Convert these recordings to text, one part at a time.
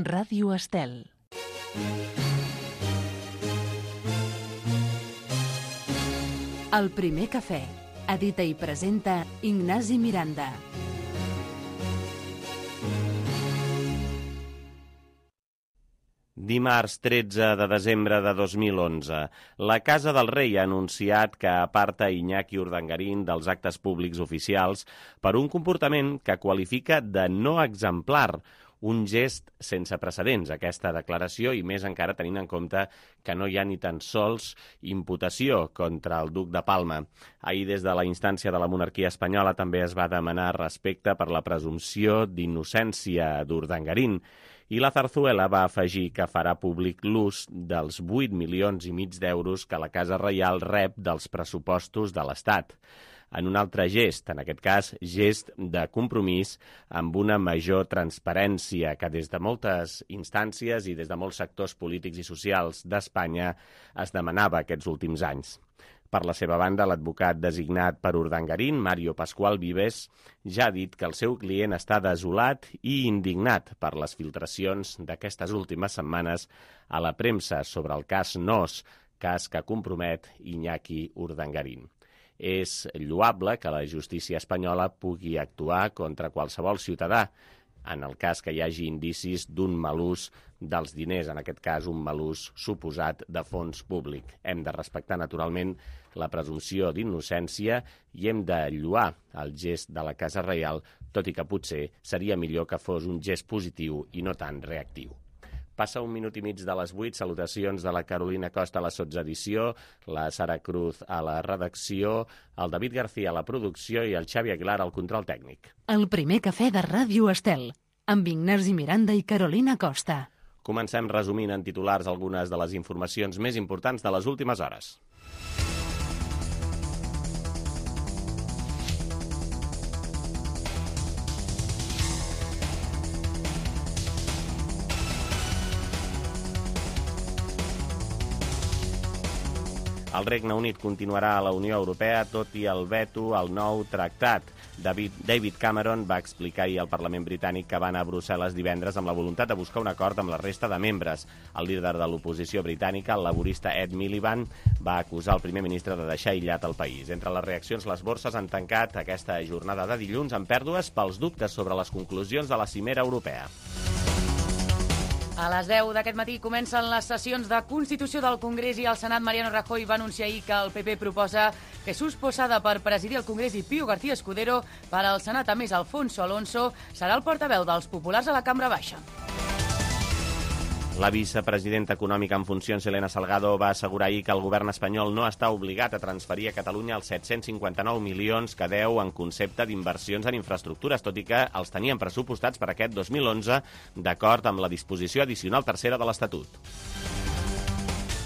Ràdio Estel. El primer cafè. Edita i presenta Ignasi Miranda. Dimarts 13 de desembre de 2011. La Casa del Rei ha anunciat que aparta Iñaki Urdangarín dels actes públics oficials per un comportament que qualifica de no exemplar, un gest sense precedents, aquesta declaració, i més encara tenint en compte que no hi ha ni tan sols imputació contra el duc de Palma. Ahir, des de la instància de la monarquia espanyola, també es va demanar respecte per la presumpció d'innocència d'Urdangarín, i la Zarzuela va afegir que farà públic l'ús dels 8,5 milions d'euros que la Casa Reial rep dels pressupostos de l'Estat. En un altre gest, en aquest cas, gest de compromís amb una major transparència que des de moltes instàncies i des de molts sectors polítics i socials d'Espanya es demanava aquests últims anys. Per la seva banda, l'advocat designat per Urdangarín, Mario Pascual Vives, ja ha dit que el seu client està desolat i indignat per les filtracions d'aquestes últimes setmanes a la premsa sobre el cas Nos, cas que compromet Iñaki Urdangarín. És lloable que la justícia espanyola pugui actuar contra qualsevol ciutadà en el cas que hi hagi indicis d'un mal ús dels diners, en aquest cas un mal ús suposat de fons públic. Hem de respectar, naturalment, la presumpció d'innocència i hem de lloar el gest de la Casa Reial, tot i que potser seria millor que fos un gest positiu i no tan reactiu. Passa 1 minut i mig de les 8, salutacions de la Carolina Costa a la sotsedició, la Sara Cruz a la redacció, el David García a la producció i el Xavi Aguilar al control tècnic. El primer cafè de Ràdio Estel, amb Ignasi Miranda i Carolina Costa. Comencem resumint en titulars algunes de les informacions més importants de les últimes hores. El Regne Unit continuarà a la Unió Europea tot i el veto al nou tractat. David Cameron va explicar ahir al Parlament britànic que va anar a Brussel·les divendres amb la voluntat de buscar un acord amb la resta de membres. El líder de l'oposició britànica, el laborista Ed Miliband, va acusar el primer ministre de deixar aïllat el país. Entre les reaccions, les borses han tancat aquesta jornada de dilluns amb pèrdues pels dubtes sobre les conclusions de la cimera europea. A les 10 d'aquest matí comencen les sessions de Constitució del Congrés i el Senat. Mariano Rajoy va anunciar ahir que el PP proposa Jesús Posada per presidir el Congrés i Pío García Escudero per al Senat. A més, Alfonso Alonso serà el portaveu dels populars a la Cambra Baixa. La vicepresidenta econòmica en funcions, Elena Salgado, va assegurar ahir que el govern espanyol no està obligat a transferir a Catalunya els 759 milions que deu en concepte d'inversions en infraestructures, tot i que els tenien pressupostats per aquest 2011, d'acord amb la disposició addicional tercera de l'Estatut.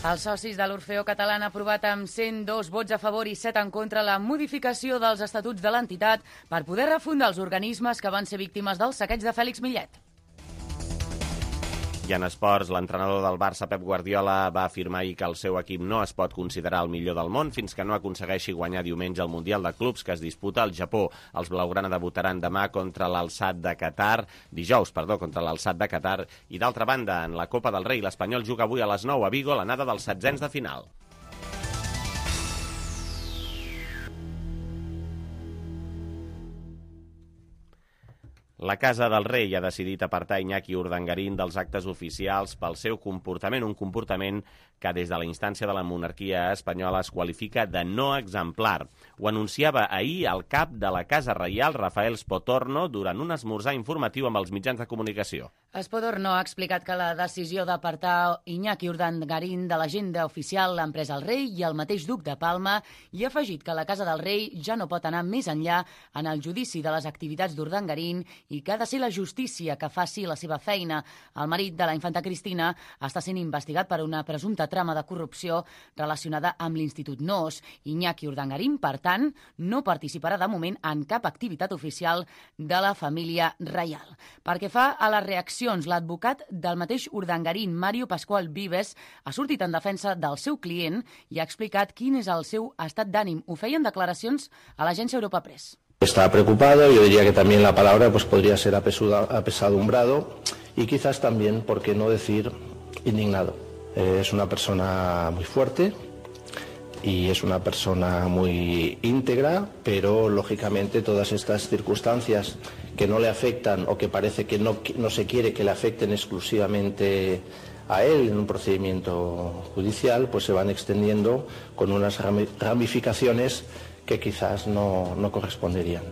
Els socis de l'Orfeó Català han aprovat amb 102 vots a favor i 7 en contra la modificació dels estatuts de l'entitat per poder refundar els organismes que van ser víctimes del saqueig de Fèlix Millet. I en esports, l'entrenador del Barça, Pep Guardiola, va afirmar ahir que el seu equip no es pot considerar el millor del món fins que no aconsegueixi guanyar diumenge el Mundial de Clubs que es disputa al Japó. Els blaugrana debutaran demà contra l'Alsat de Qatar, contra l'Alsat de Qatar. I d'altra banda, en la Copa del Rei, l'Espanyol juga avui a les 9 a Vigo, l'anada dels 16ens de final. La Casa del Rei ha decidit apartar Iñaki Urdangarín dels actes oficials pel seu comportament, un comportament que des de la instància de la monarquia espanyola es qualifica de no exemplar. Ho anunciava ahir el cap de la Casa Reial, Rafael Spotorno, durant un esmorzar informatiu amb els mitjans de comunicació. Spotorno ha explicat que la decisió d'apartar Iñaki Urdangarín de l'agenda oficial l'han pres el rei i el mateix duc de Palma i ha afegit que la Casa del Rei ja no pot anar més enllà en el judici de les activitats d'Urdangarín i que ha de ser la justícia que faci la seva feina. El marit de la infanta Cristina està sent investigat per una presumpta trama de corrupció relacionada amb l'Institut Nos. Iñaki Urdangarín, per tant, no participarà de moment en cap activitat oficial de la família reial. Perquè fa a les reaccions, l'advocat del mateix Urdangarín, Mario Pascual Vives, ha sortit en defensa del seu client i ha explicat quin és el seu estat d'ànim. Ho feien declaracions a l'agència Europa Press. Está preocupado, yo diría que también la palabra pues podría ser apesadumbrado y quizás también, por qué no decir, indignado. Es una persona muy fuerte y es una persona muy íntegra, pero lógicamente todas estas circunstancias que no le afectan o que parece que no se quiere que le afecten exclusivamente a él en un procedimiento judicial, pues se van extendiendo con unas ramificacions que quizás no corresponderían.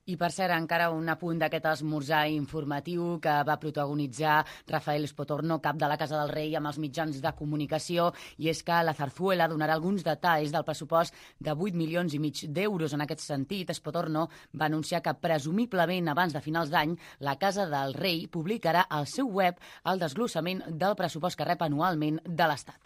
I, per cert, encara un apunt d'aquest esmorzar informatiu que va protagonitzar Rafael Spotorno, cap de la Casa del Rei, amb els mitjans de comunicació, i és que la Zarzuela donarà alguns detalls del pressupost de 8,5 milions d'euros. En aquest sentit, Spotorno va anunciar que, presumiblement, abans de finals d'any, la Casa del Rei publicarà al seu web el desglossament del pressupost que rep anualment de l'Estat.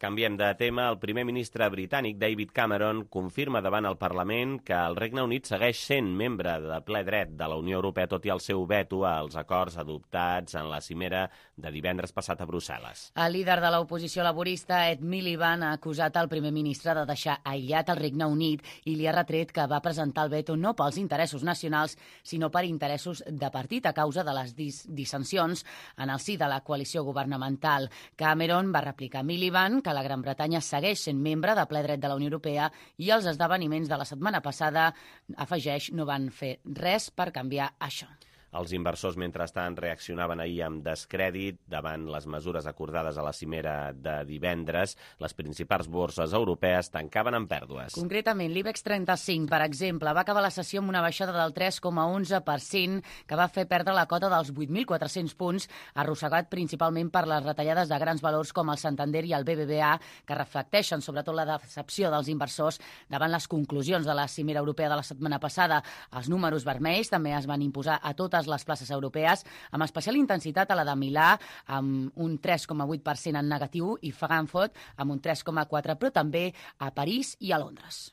Canviem de tema. El primer ministre britànic, David Cameron, confirma davant el Parlament que el Regne Unit segueix sent membre de ple dret de la Unió Europea, tot i el seu veto als acords adoptats en la cimera de divendres passat a Brussel·les. El líder de l'oposició laborista, Ed Miliband, ha acusat el primer ministre de deixar aïllat el Regne Unit i li ha retret que va presentar el veto no pels interessos nacionals, sinó per interessos de partit a causa de les dissensions en el si de la coalició governamental. Cameron va replicar a Miliband que la Gran Bretanya segueix sent membre de ple dret de la Unió Europea i els esdeveniments de la setmana passada, afegeix, no van fer res per canviar això. Els inversors, mentrestant, reaccionaven ahir amb descrèdit davant les mesures acordades a la cimera de divendres. Les principals borses europees tancaven amb pèrdues. Concretament, l'IBEX 35, per exemple, va acabar la sessió amb una baixada del 3,11%, que va fer perdre la cota dels 8.400 punts, arrossegat principalment per les retallades de grans valors com el Santander i el BBVA, que reflecteixen sobretot la decepció dels inversors davant les conclusions de la cimera europea de la setmana passada. Els números vermells també es van imposar a totes les places europees, amb especial intensitat a la de Milà, amb un 3,8% en negatiu, i Frankfurt amb un 3,4%, però també a París i a Londres.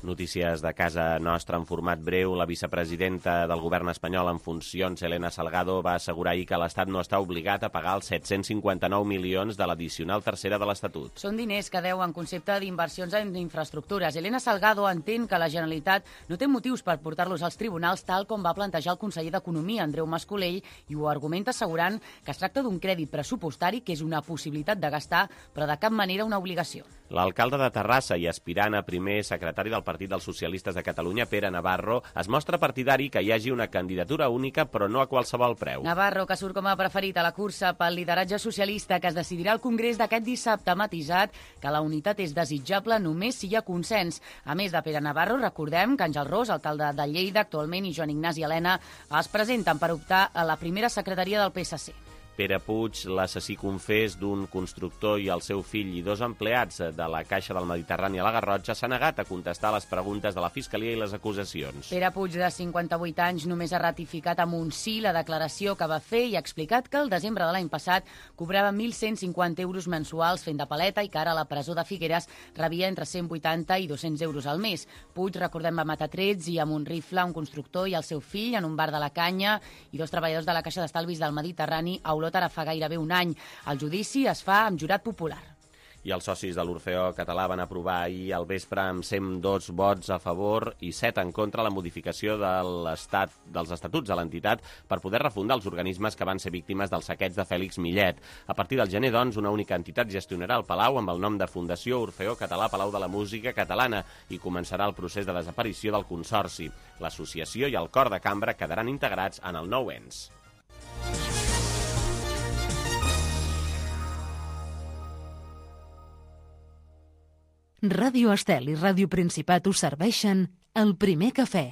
Notícies de casa nostra en format breu. La vicepresidenta del govern espanyol en funcions, Elena Salgado, va assegurar ahir que l'Estat no està obligat a pagar els 759 milions de l'addicional tercera de l'Estatut. Són diners que deu en concepte d'inversions en infraestructures. Elena Salgado entén que la Generalitat no té motius per portar-los als tribunals, tal com va plantejar el conseller d'Economia, Andreu Mas-Colell, i ho argumenta assegurant que es tracta d'un crèdit pressupostari que és una possibilitat de gastar, però de cap manera una obligació. L'alcalde de Terrassa i aspirant a primer secretari del Partit dels Socialistes de Catalunya, Pere Navarro, es mostra partidari que hi hagi una candidatura única, però no a qualsevol preu. Navarro, que surt com a preferit a la cursa pel lideratge socialista que es decidirà al Congrés d'aquest dissabte, ha matisat que la unitat és desitjable només si hi ha consens. A més de Pere Navarro, recordem que Àngel Ros, alcalde de Lleida actualment, i Joan Ignasi Elena es presenten per optar a la primera secretaria del PSC. Pere Puig, l'assassí confés d'un constructor i el seu fill i 2 empleats de la Caixa del Mediterrani a la Garrotxa, s'ha negat a contestar les preguntes de la Fiscalia i les acusacions. Pere Puig, de 58 anys, només ha ratificat amb un sí la declaració que va fer i ha explicat que el desembre de l'any passat cobrava 1.150 euros mensuals fent de paleta i que ara a la presó de Figueres rebia entre 180 i 200 euros al mes. Puig, recordem, va matar trets i amb un rifle un constructor i el seu fill en un bar de la Canya i 2 treballadors de la Caixa d'Estalvis del Mediterrani a Olot ara fa gairebé un any. El judici es fa amb jurat popular. I els socis de l'Orfeó Català van aprovar ahir al vespre amb 102 vots a favor i 7 en contra la modificació dels estatuts de l'entitat per poder refundar els organismes que van ser víctimes del saqueig de Fèlix Millet. A partir del gener, doncs, una única entitat gestionarà el Palau amb el nom de Fundació Orfeó Català Palau de la Música Catalana i començarà el procés de desaparició del Consorci. L'associació i el cor de cambra quedaran integrats en el nou ens. Ràdio Estel i Ràdio Principat us serveixen el primer cafè.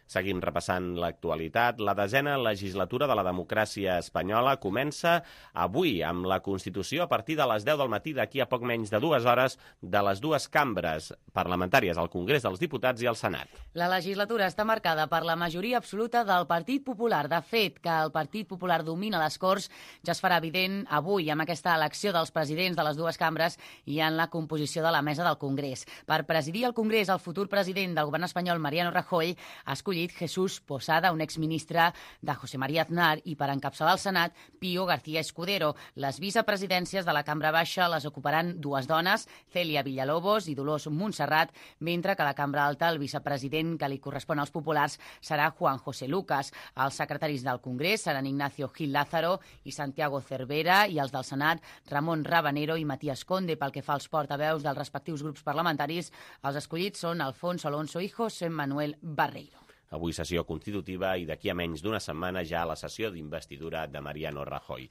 Seguim repassant l'actualitat. La 10a legislatura de la democràcia espanyola comença avui amb la Constitució a partir de les 10 del matí d'aquí a poc menys de 2 hores de les 2 cambres parlamentàries, el Congrés dels Diputats i el Senat. La legislatura està marcada per la majoria absoluta del Partit Popular. De fet, que el Partit Popular domina les Corts ja es farà evident avui amb aquesta elecció dels presidents de les 2 cambres i en la composició de la mesa del Congrés. Per presidir el Congrés, el futur president del govern espanyol, Mariano Rajoy, ha escollit escollit Jesús Posada, un exministre de José María Aznar, i per encapçalar el Senat, Pío García Escudero. Les vicepresidències de la Cambra Baixa les ocuparan dues dones, Celia Villalobos i Dolors Montserrat, mentre que a la Cambra Alta el vicepresident que li correspon als populars serà Juan José Lucas. Els secretaris del Congrés seran Ignacio Gil Lázaro i Santiago Cervera, i els del Senat, Ramon Rabanero i Matías Conde. Pel que fa als portaveus dels respectius grups parlamentaris, els escollits són Alfonso Alonso i José Manuel Barreiro. Avui sessió constitutiva i d'aquí a menys d'una setmana ja la sessió d'investidura de Mariano Rajoy.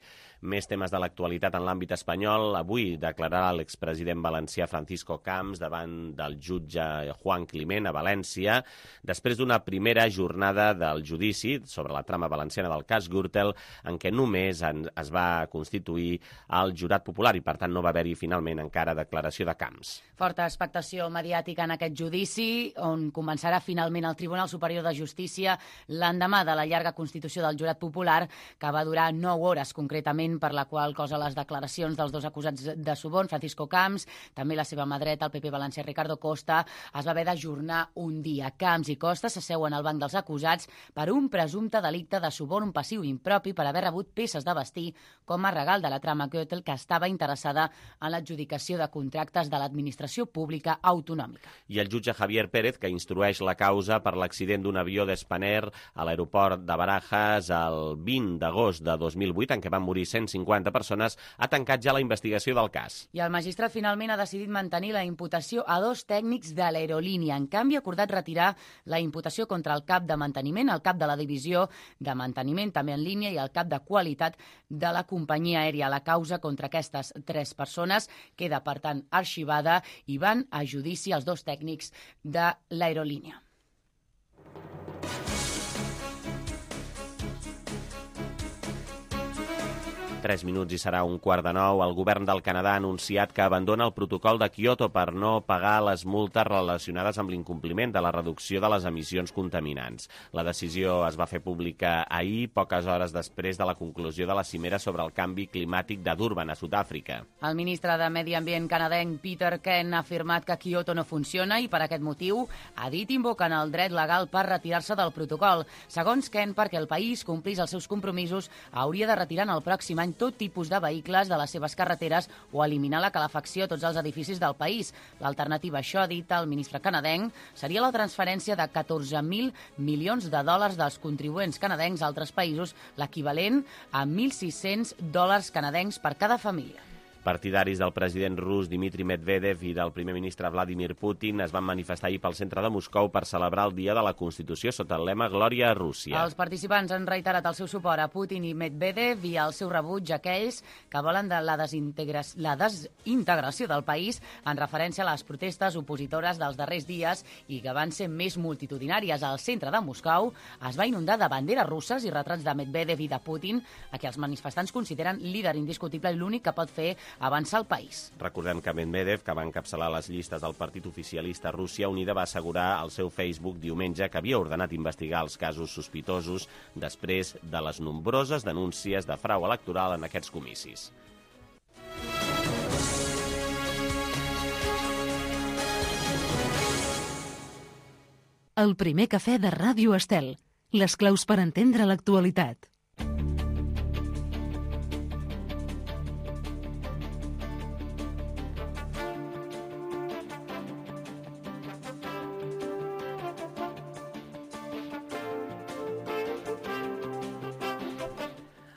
Més temes de l'actualitat en l'àmbit espanyol. Avui declararà l'expresident valencià Francisco Camps davant del jutge Juan Climent a València, després d'una primera jornada del judici sobre la trama valenciana del cas Gürtel, en què només es va constituir el jurat popular i, per tant, no va haver-hi finalment encara declaració de Camps. Forta expectació mediàtica en aquest judici, on començarà finalment el Tribunal Superior de Justícia l'endemà de la llarga constitució del jurat popular, que va durar 9 hores concretament, per la qual cosa les declaracions dels dos acusats de suborn, Francisco Camps, també la seva mà dreta, el PP valencià Ricardo Costa, es va haver d'ajornar un dia. Camps i Costa s'asseuen al banc dels acusats per un presumpte delicte de suborn passiu impropi per haver rebut peces de vestir com a regal de la trama Gürtel, que estava interessada en l'adjudicació de contractes de l'administració pública autonòmica. I el jutge Javier Pérez, que instrueix la causa per l'accident d'un avió d'Spanair a l'aeroport de Barajas el 20 d'agost de 2008, en què van morir 150 persones, ha tancat ja la investigació del cas. I el magistrat finalment ha decidit mantenir la imputació a 2 tècnics de l'aerolínia. En canvi, ha acordat retirar la imputació contra el cap de manteniment, el cap de la divisió de manteniment, també en línia, i el cap de qualitat de la companyia aèria. La causa contra aquestes 3 persones queda, per tant, arxivada, i van a judici els 2 tècnics de l'aerolínia. Tres minuts i serà 8:45. El govern del Canadà ha anunciat que abandona el protocol de Kyoto per no pagar les multes relacionades amb l'incompliment de la reducció de les emissions contaminants. La decisió es va fer pública ahir, poques hores després de la conclusió de la cimera sobre el canvi climàtic de Durban, a Sud-àfrica. El ministre de Medi Ambient canadenc Peter Kent ha afirmat que Kyoto no funciona i per aquest motiu ha dit invoquen el dret legal per retirar-se del protocol. Segons Kent, perquè el país complís els seus compromisos, hauria de retirar en el pròxim any tot tipus de vehicles de les seves carreteres o eliminar la calefacció a tots els edificis del país. L'alternativa a això, ha dit el ministre canadenc, seria la transferència de 14.000 milions de dòlars dels contribuents canadencs a altres països, l'equivalent a $1.600 canadencs per cada família. Partidaris del president rus Dmitry Medvedev i del primer ministre Vladimir Putin es van manifestar ahir pel centre de Moscou per celebrar el Dia de la Constitució sota el lema Glòria a Rússia. Els participants han reiterat el seu suport a Putin i Medvedev i el seu rebuig a aquells que volen de la desintegració del país, en referència a les protestes opositores dels darrers dies i que van ser més multitudinàries. Al centre de Moscou es va inundar de banderes russes i retrats de Medvedev i de Putin, a qui els manifestants consideren líder indiscutible i l'únic que pot fer avançar el país. Recordem que Medvedev, que va encapçalar les llistes del Partit Oficialista Rússia Unida, va assegurar al seu Facebook diumenge que havia ordenat investigar els casos sospitosos després de les nombroses denúncies de frau electoral en aquests comicis. El primer cafè de Ràdio Estel. Les claus per entendre l'actualitat.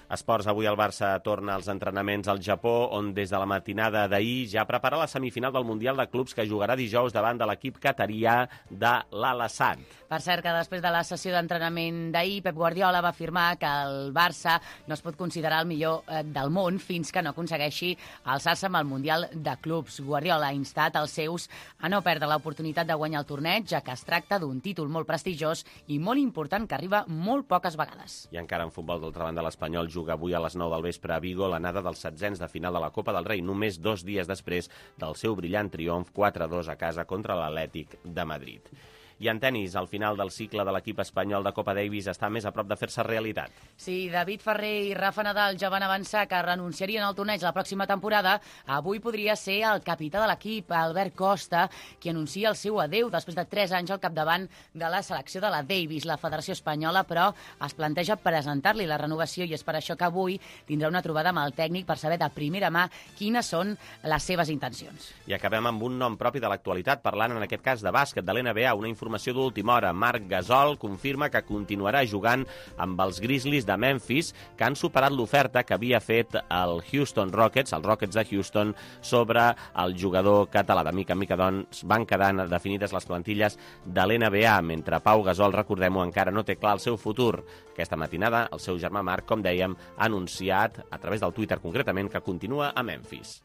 Esports, avui el Barça torna als entrenaments al Japó, on des de la matinada d'ahir ja prepara la semifinal del Mundial de Clubs que jugarà dijous davant de l'equip qatarià de l'Al-Assad. Per cert, que després de la sessió d'entrenament d'ahir, Pep Guardiola va afirmar que el Barça no es pot considerar el millor del món fins que no aconsegueixi alçar-se amb el Mundial de Clubs. Guardiola ha instat els seus a no perdre l'oportunitat de guanyar el torneig, ja que es tracta d'un títol molt prestigiós i molt important que arriba molt poques vegades. I encara en futbol, d'altra banda, l'Espanyol juga avui a les 9 del vespre a Vigo l'anada dels setzents de final de la Copa del Rei, només 2 dies després del seu brillant triomf 4-2 a casa contra l'Atlètic de Madrid. I en tenis, al final del cicle de l'equip espanyol de Copa Davis està més a prop de fer-se realitat. Sí, David Ferrer i Rafa Nadal ja van avançar que renunciarien al torneig la pròxima temporada. Avui podria ser el capità de l'equip, Albert Costa, qui anuncia el seu adeu després de 3 anys al capdavant de la selecció de la Davis. La Federació Espanyola, però, es planteja presentar-li la renovació i és per això que avui tindrà una trobada amb el tècnic per saber de primera mà quines són les seves intencions. I acabem amb un nom propi de l'actualitat, parlant en aquest cas de bàsquet, de l'NBA, una informació d'última hora. Marc Gasol confirma que continuarà jugant amb els Grizzlies de Memphis, que han superat l'oferta que havia fet el Houston Rockets, els Rockets de Houston, sobre el jugador català. De mica en mica, doncs, van quedant definides les plantilles de l'NBA, mentre Pau Gasol, recordem-ho, encara no té clar el seu futur. Aquesta matinada, el seu germà Marc, com dèiem, ha anunciat, a través del Twitter concretament, que continua a Memphis.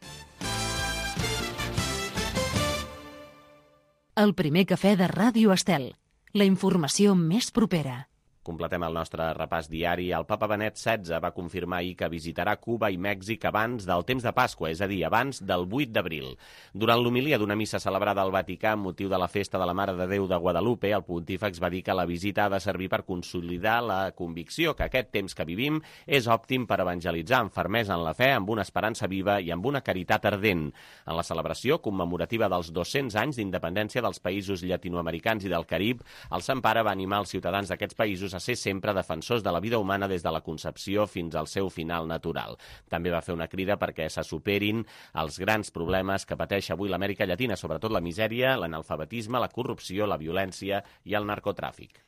El primer cafè de Ràdio Estel. La informació més propera. Completem el nostre repàs diari. El papa Benet XVI va confirmar ahir que visitarà Cuba i Mèxic abans del temps de Pasqua, és a dir, abans del 8 d'abril. Durant l'homilia d'una missa celebrada al Vaticà amb motiu de la festa de la Mare de Déu de Guadalupe, el pontífex va dir que la visita ha de servir per consolidar la convicció que aquest temps que vivim és òptim per evangelitzar amb fermesa en la fe, amb una esperança viva i amb una caritat ardent. En la celebració commemorativa dels 200 anys d'independència dels països llatinoamericans i del Carib, el Sant Pare va animar els ciutadans d'aquests països a ser sempre defensors de la vida humana des de la concepció fins al seu final natural. També va fer una crida perquè se superin els grans problemes que pateix avui l'Amèrica Llatina, sobretot la misèria, l'analfabetisme, la corrupció, la violència i el narcotràfic.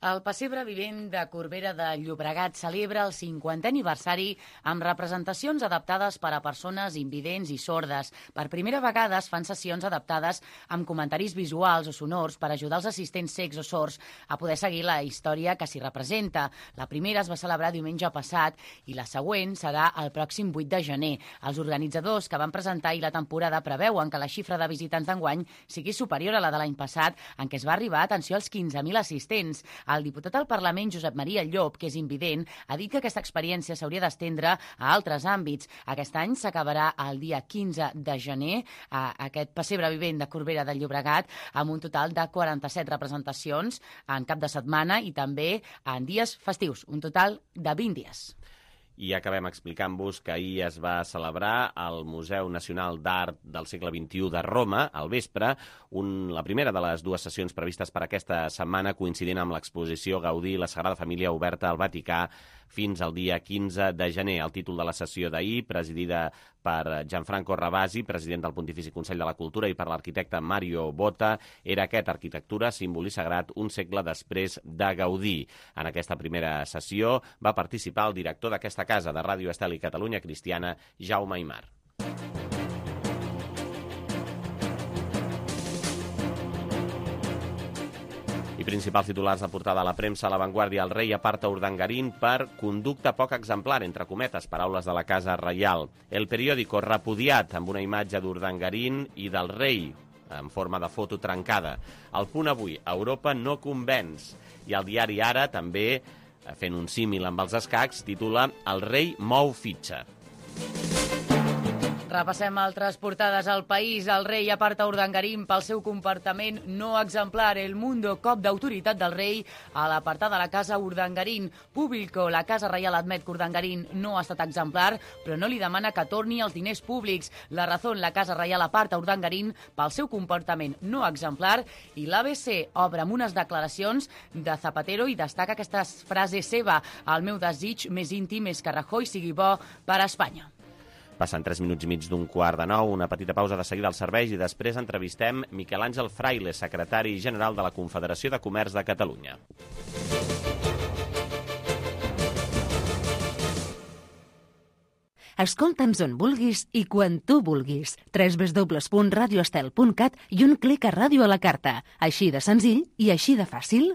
El pessebre vivent de Corbera de Llobregat celebra el 50è aniversari amb representacions adaptades per a persones invidents i sordes. Per primera vegada es fan sessions adaptades amb comentaris visuals o sonors per ajudar els assistents cecs o sords a poder seguir la història que s'hi representa. La primera es va celebrar diumenge passat i la següent serà el pròxim 8 de gener. Els organitzadors que van presentar ahir la temporada preveuen que la xifra de visitants d'enguany sigui superior a la de l'any passat, en què es va arribar, atenció, als 15.000 assistents. El diputat al Parlament, Josep Maria Llop, que és invident, ha dit que aquesta experiència s'hauria d'estendre a altres àmbits. Aquest any s'acabarà el dia 15 de gener aquest pessebre vivent de Corbera de Llobregat amb un total de 47 representacions en cap de setmana i també en dies festius, un total de 20 dies. I acabem explicant-vos que ahir es va celebrar al Museu Nacional d'Art del segle XXI de Roma, al vespre, la primera de les dues sessions previstes per aquesta setmana, coincidint amb l'exposició Gaudí, la Sagrada Família oberta al Vaticà fins al dia 15 de gener. El títol de la sessió d'ahir, presidida per Gianfranco Ravasi, president del Pontifici Consell de la Cultura, i per l'arquitecte Mario Botta, era aquest: arquitectura, símbol i sagrat, un segle després de Gaudí. En aquesta primera sessió va participar el director d'aquesta casa de Ràdio Estel i Catalunya Cristiana, Jaume Aymar. I principals titulars de portada a la premsa: a La Vanguardia, el rei aparta Urdangarín per conducta poc exemplar, entre cometes, paraules de la Casa Reial. El Periódico, repudiat, amb una imatge d'Urdangarín i del rei en forma de foto trencada. El Punt avui, Europa no convenç. I el diari Ara, també, fent un símil amb els escacs, titula El rei mou fitxa. Repassem altres portades al País. El rei aparta Urdangarín pel seu comportament no exemplar. El Mundo, cop d'autoritat del rei a l'apartar de la casa Urdangarín. Público, la Casa Reial admet que Urdangarín no ha estat exemplar, però no li demana que torni els diners públics. La Razón, la Casa Reial aparta Urdangarín pel seu comportament no exemplar, i l'ABC obre amb unes declaracions de Zapatero i destaca aquesta frase seva: el meu desig més íntim és que Rajoy sigui bo per a Espanya. Passen 3 minuts i mig d'un quart de 9, una petita pausa de seguida als serveis i després entrevistem Miquel Àngel Fraile, secretari general de la Confederació de Comerç de Catalunya. Escolta'ns on vulguis i quan tu vulguis. www.radioestel.cat i un clic a Ràdio a la carta. Així de senzill i així de fàcil.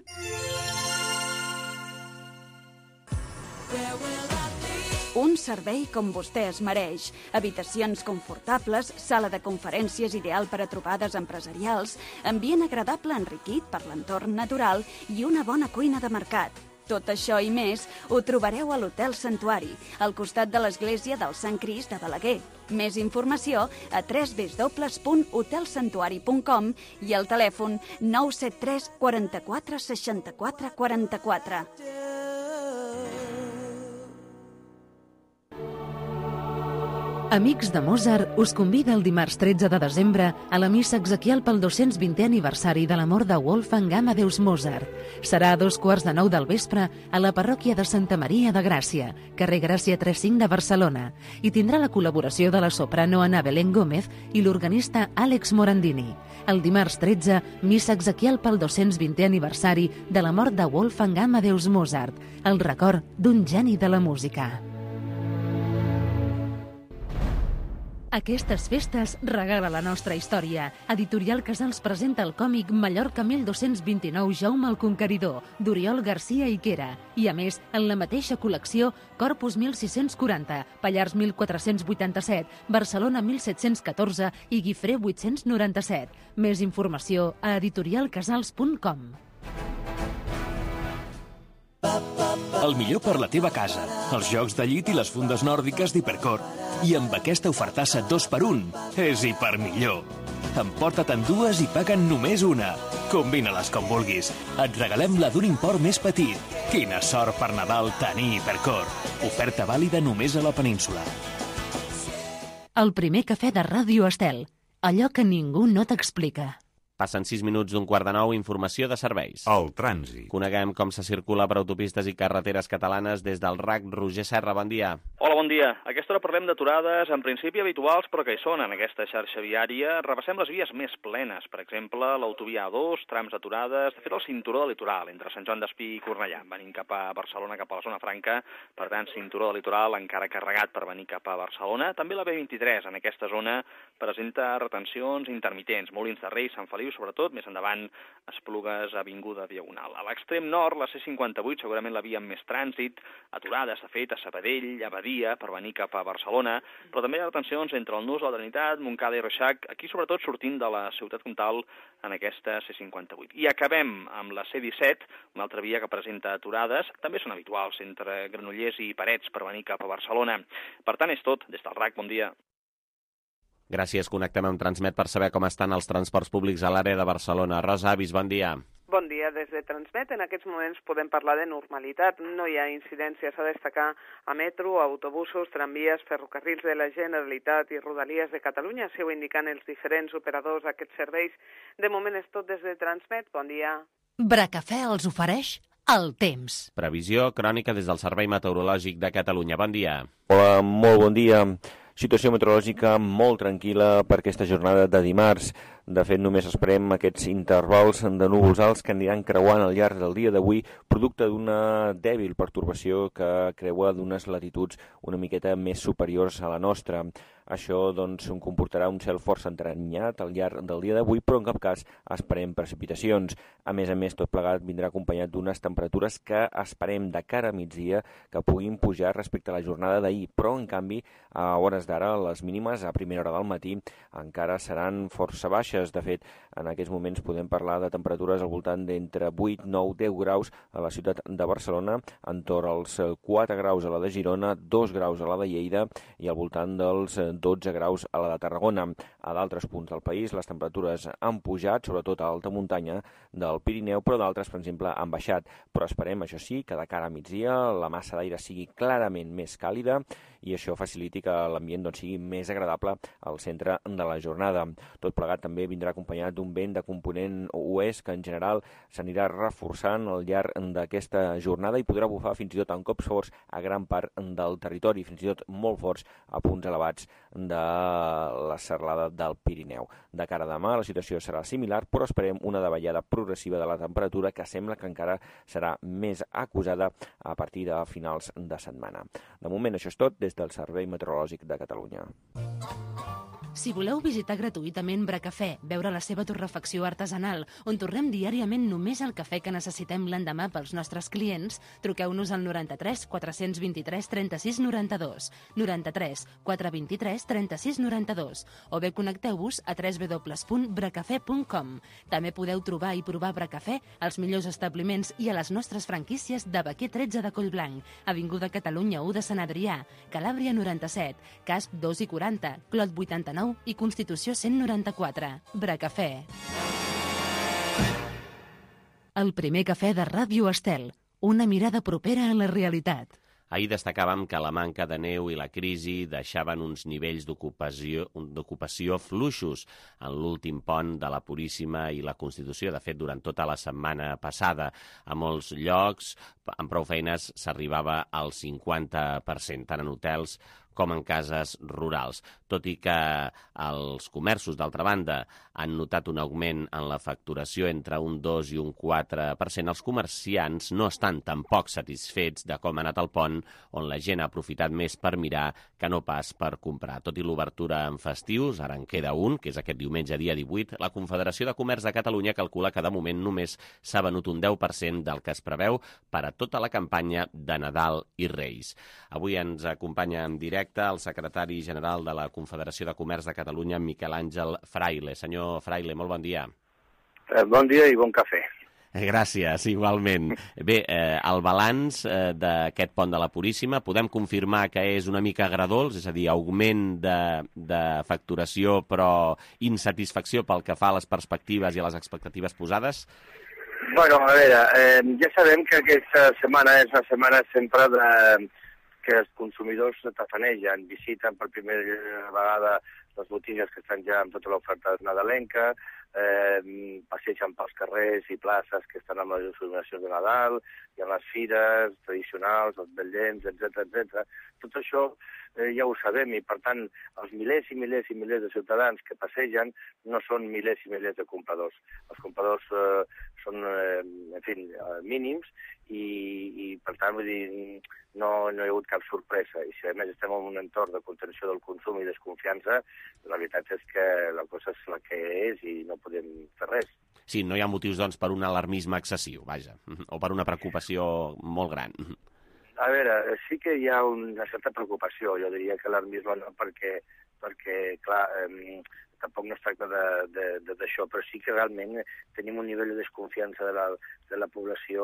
Un servei com vostè es mereix. Habitacions confortables, sala de conferències ideal per a trobades empresarials, ambient agradable enriquit per l'entorn natural i una bona cuina de mercat. Tot això i més ho trobareu a l'Hotel Santuari, al costat de l'església del Sant Crist de Balaguer. Més informació a www.hotelsantuari.com i al telèfon 973 44 64 44. Amics de Mozart us convida el dimarts 13 de desembre a la missa exequial pel 220è aniversari de la mort de Wolfgang Amadeus Mozart. Serà a 2:15 del vespre a la parròquia de Santa Maria de Gràcia, carrer Gràcia 35 de Barcelona, i tindrà la col·laboració de la soprano Ana Belén Gómez i l'organista Àlex Morandini. El dimarts 13, missa exequial pel 220è aniversari de la mort de Wolfgang Amadeus Mozart, el record d'un geni de la música. Aquestes festes regala la nostra història. Editorial Casals presenta el còmic Mallorca 1229 Jaume el Conqueridor, d'Oriol Garcia i Quera. I a més, en la mateixa col·lecció, Corpus 1640, Pallars 1487, Barcelona 1714 i Guifré 897. Més informació a editorialcasals.com. El millor per la teva casa, els jocs de llit i les fundes nòrdiques d'Hipercor. I amb aquesta ofertassa 2x1 és hipermillor. Emporta-te'n dues i paguen només una. Combina-les com vulguis. Et regalem la d'un import més petit. Quina sort per Nadal tenir Hipercor. Oferta vàlida només a la península. El primer cafè de Ràdio Estel. Allò que ningú no t'explica. Passen 6 minuts d'un 8:45, informació de serveis. El trànsit. Coneguem com se circula per autopistes i carreteres catalanes des del RAC. Roger Serra, bon dia. Hola, bon dia. A aquesta hora parlem d'aturades, en principi habituals, però que hi són en aquesta xarxa viària. Repassem les vies més plenes, per exemple, l'autovia A2, trams aturades, de fet el cinturó del litoral, entre Sant Joan d'Espí i Cornellà, venint cap a Barcelona, cap a la zona franca, per tant, cinturó del litoral encara carregat per venir cap a Barcelona. També la B23, en aquesta zona, presenta retencions intermitents, Molins de Rei, Sant Feliu, sobretot, més endavant, Esplugues, Avinguda Diagonal. A l'extrem nord, la C58, segurament la via amb més trànsit, aturades, de fet, a Sabadell, a Badia, per venir cap a Barcelona, però també hi ha retencions entre el Nus, la Trinitat, Montcada i Reixac, aquí sobretot sortint de la ciutat comtal en aquesta C58. I acabem amb la C17, una altra via que presenta aturades, també són habituals entre Granollers i Parets per venir cap a Barcelona. Per tant, és tot. Des del RAC, bon dia. Gràcies, connectem amb Transmet per saber com estan els transports públics a l'àrea de Barcelona. Rosa Avis, bon dia. Bon dia, des de Transmet. En aquests moments podem parlar de normalitat. No hi ha incidències a destacar a metro, autobusos, tramvies, ferrocarrils de la Generalitat i Rodalies de Catalunya. Així ho indiquen els diferents operadors d'aquests serveis. De moment és tot des de Transmet. Bon dia. Bracafè els ofereix el temps. Previsió crònica des del Servei Meteorològic de Catalunya. Bon dia. Hola, molt bon dia. Situació meteorològica molt tranquil·la per aquesta jornada de dimarts. De fet, només esperem aquests intervals de núvols alts que aniran creuant al llarg del dia d'avui, producte d'una dèbil pertorbació que creua d'unes latituds una miqueta més superiors a la nostra. Això doncs, comportarà un cel força entrenyat al llarg del dia d'avui, però en cap cas esperem precipitacions. A més, tot plegat vindrà acompanyat d'unes temperatures que esperem de cara a migdia que puguin pujar respecte a la jornada d'ahir, però en canvi a hores d'ara les mínimes a primera hora del matí encara seran força baixes. De fet, en aquests moments podem parlar de temperatures al voltant d'entre 8, 9, 10 graus a la ciutat de Barcelona, entorn als 4 graus a la de Girona, 2 graus a la de Lleida i al voltant dels 12 graus a la de Tarragona. A d'altres punts del país les temperatures han pujat, sobretot a alta muntanya del Pirineu, però d'altres, per exemple, han baixat. Però esperem, això sí, que de cara a migdia la massa d'aire sigui clarament més càlida i això faciliti que l'ambient sigui més agradable al centre de la jornada. Tot plegat també vindrà acompanyat d'un vent de component oest que en general s'anirà reforçant al llarg d'aquesta jornada i podrà bufar fins i tot amb cops forts a gran part del territori, fins i tot molt forts a punts elevats de la serralada del Pirineu. De cara a demà la situació serà similar, però esperem una davallada progressiva de la temperatura que sembla que encara serà més acusada a partir de finals de setmana. De moment això és tot des del Servei Meteorològic de Catalunya. Si voleu visitar gratuïtament Bracafè, veure la seva torrefacció artesanal, on torrem diàriament només el cafè que necessitem l'endemà pels nostres clients, truqueu-nos al 93 423 36 92, 93 423 36 92, o bé connecteu-vos a www.bracafè.com. També podeu trobar i provar Bracafè als millors establiments i a les nostres franquícies de Baquer 13 de Collblanc, Avinguda Catalunya 1 de Sant Adrià, Calàbria 97, Casp 2 i 40, Clot 89 i Constitució 194. Bracafè. El primer cafè de Ràdio Estel. Una mirada propera a la realitat. Ahir destacàvem que la manca de neu i la crisi deixaven uns nivells d'ocupació fluixos en l'últim pont de la Puríssima i la Constitució. De fet, durant tota la setmana passada, a molts llocs, amb prou feines, s'arribava al 50%, tant en hotels com en cases rurals. Tot i que els comerços, d'altra banda, han notat un augment en la facturació entre un 2 i un 4%, els comerciants no estan tampoc satisfets de com ha anat el pont, on la gent ha aprofitat més per mirar que no pas per comprar. Tot i l'obertura en festius, ara en queda un, que és aquest diumenge, dia 18, la Confederació de Comerç de Catalunya calcula que de moment només s'ha venut un 10% del que es preveu per a tota la campanya de Nadal i Reis. Avui ens acompanya en directe el secretari general de la Confederació de Comerç de Catalunya, Miquel Àngel Fraile. Senyor Fraile, molt bon dia. Bon dia i bon cafè. Gràcies, igualment. Bé, el balanç d'aquest pont de la Puríssima, podem confirmar que és una mica agredolç, és a dir, augment de facturació però insatisfacció pel que fa a les perspectives i a les expectatives posades? Bueno, a veure, ja sabem que aquesta setmana és una setmana sempre que els consumidors tafanegen, visiten per primera vegada les botigues que estan ja amb tota l'oferta nadalenca, passegen pels carrers i places que estan amb les il·luminacions de Nadal, hi ha les fires tradicionals, els vetllets, etc. Tot això ja ho sabem i, per tant, els milers i milers i milers de ciutadans que passegen no són milers i milers de compradors. Els compradors són, en fi, mínims i per tant, vull dir, no hi ha hagut cap sorpresa. I si a més estem en un entorn de contenció del consum i desconfiança, la veritat és que la cosa és la que és i no podem fer res. Sí, no hi ha motius, doncs, per un alarmisme excessiu, vaja, o per una preocupació molt gran. A veure, sí que hi ha una certa preocupació, jo diria que alarmisme no, perquè clar, tampoc no es tracta d'això, però sí que realment tenim un nivell de desconfiança de la població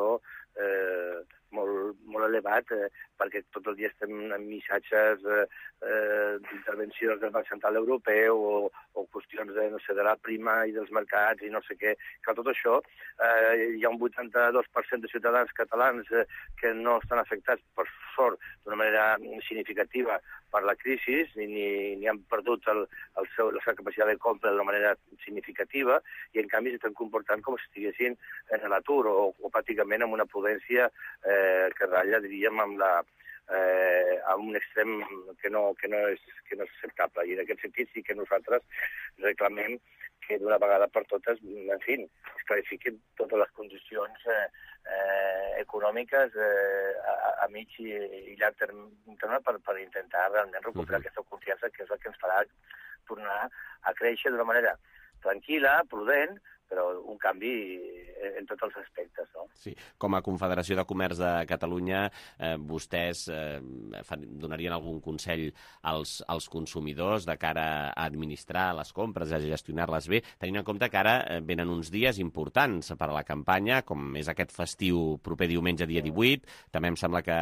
molt elevat, perquè tot el dia estem amb missatges d'intervencions del Banc Central Europeu o qüestions de la prima i dels mercats i no sé què. Que tot això, hi ha un 82% de ciutadans catalans que no estan afectats, per sort, d'una manera significativa per la crisi, ni han perdut la seva capacitat de compra d'una manera significativa, i en canvi s'estan comportant com si estiguessin en l'atur o pràcticament amb una prudència que ratlla, diríem, amb un extrem que no és acceptable. I en aquest sentit sí que nosaltres reclamem que d'una vegada per totes, en fi, es clarifiquin totes les condicions econòmiques a mig i llarg termini per intentar realment recuperar aquesta confiança, que és el que ens farà tornar a créixer d'una manera tranquil·la, prudent, però un canvi en tots els aspectes, no? Sí. Com a Confederació de Comerç de Catalunya, vostès donarien algun consell als consumidors de cara a administrar les compres, a gestionar-les bé, tenint en compte que ara venen uns dies importants per a la campanya, com és aquest festiu proper diumenge, dia 18, també em sembla que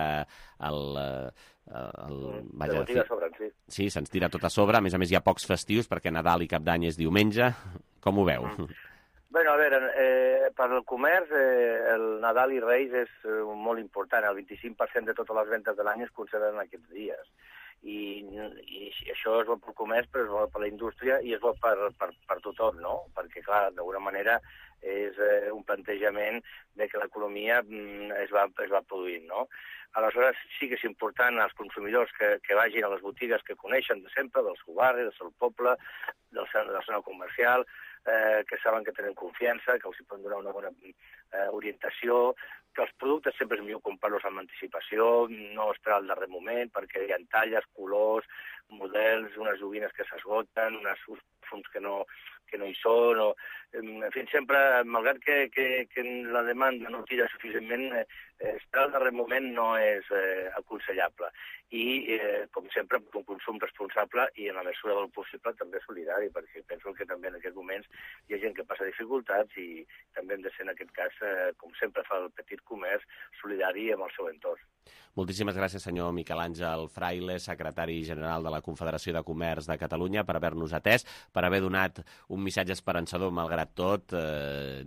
sí, se'ns tira tot a sobre, a més hi ha pocs festius perquè Nadal i Cap d'Any és diumenge. Com ho veu? Bé, a veure, per al comerç el Nadal i Reis és molt important. El 25% de totes les ventes de l'any es concentren en aquests dies. I això és bo pel comerç, però és bo per la indústria i és bo per tothom, no? Perquè, clar, d'alguna manera és un plantejament de que l'economia es va produint, no? Aleshores, sí que és important als consumidors que vagin a les botigues que coneixen de sempre, del seu barri, del seu poble, de la zona comercial, que saben que tenen confiança, que els poden donar una bona orientació, que els productes sempre és millor comprar-los amb anticipació, no esperar al darrer moment, perquè hi ha talles, colors, models, unes joguines que s'esgoten, uns fons que no hi són, en fi, sempre, malgrat que la demanda no tira suficientment, esperar al darrer moment no és aconsellable. I, com sempre, un consum responsable i, en la mesura del possible, també solidari, perquè penso que també en aquests moments hi ha gent que passa dificultats i també hem de ser, en aquest cas, com sempre fa el petit comerç, solidari amb el seu entorn. Moltíssimes gràcies, senyor Miquel Àngel Fraile, secretari general de la Confederació de Comerç de Catalunya, per haver-nos atès, per haver donat un missatge esperançador, malgrat tot,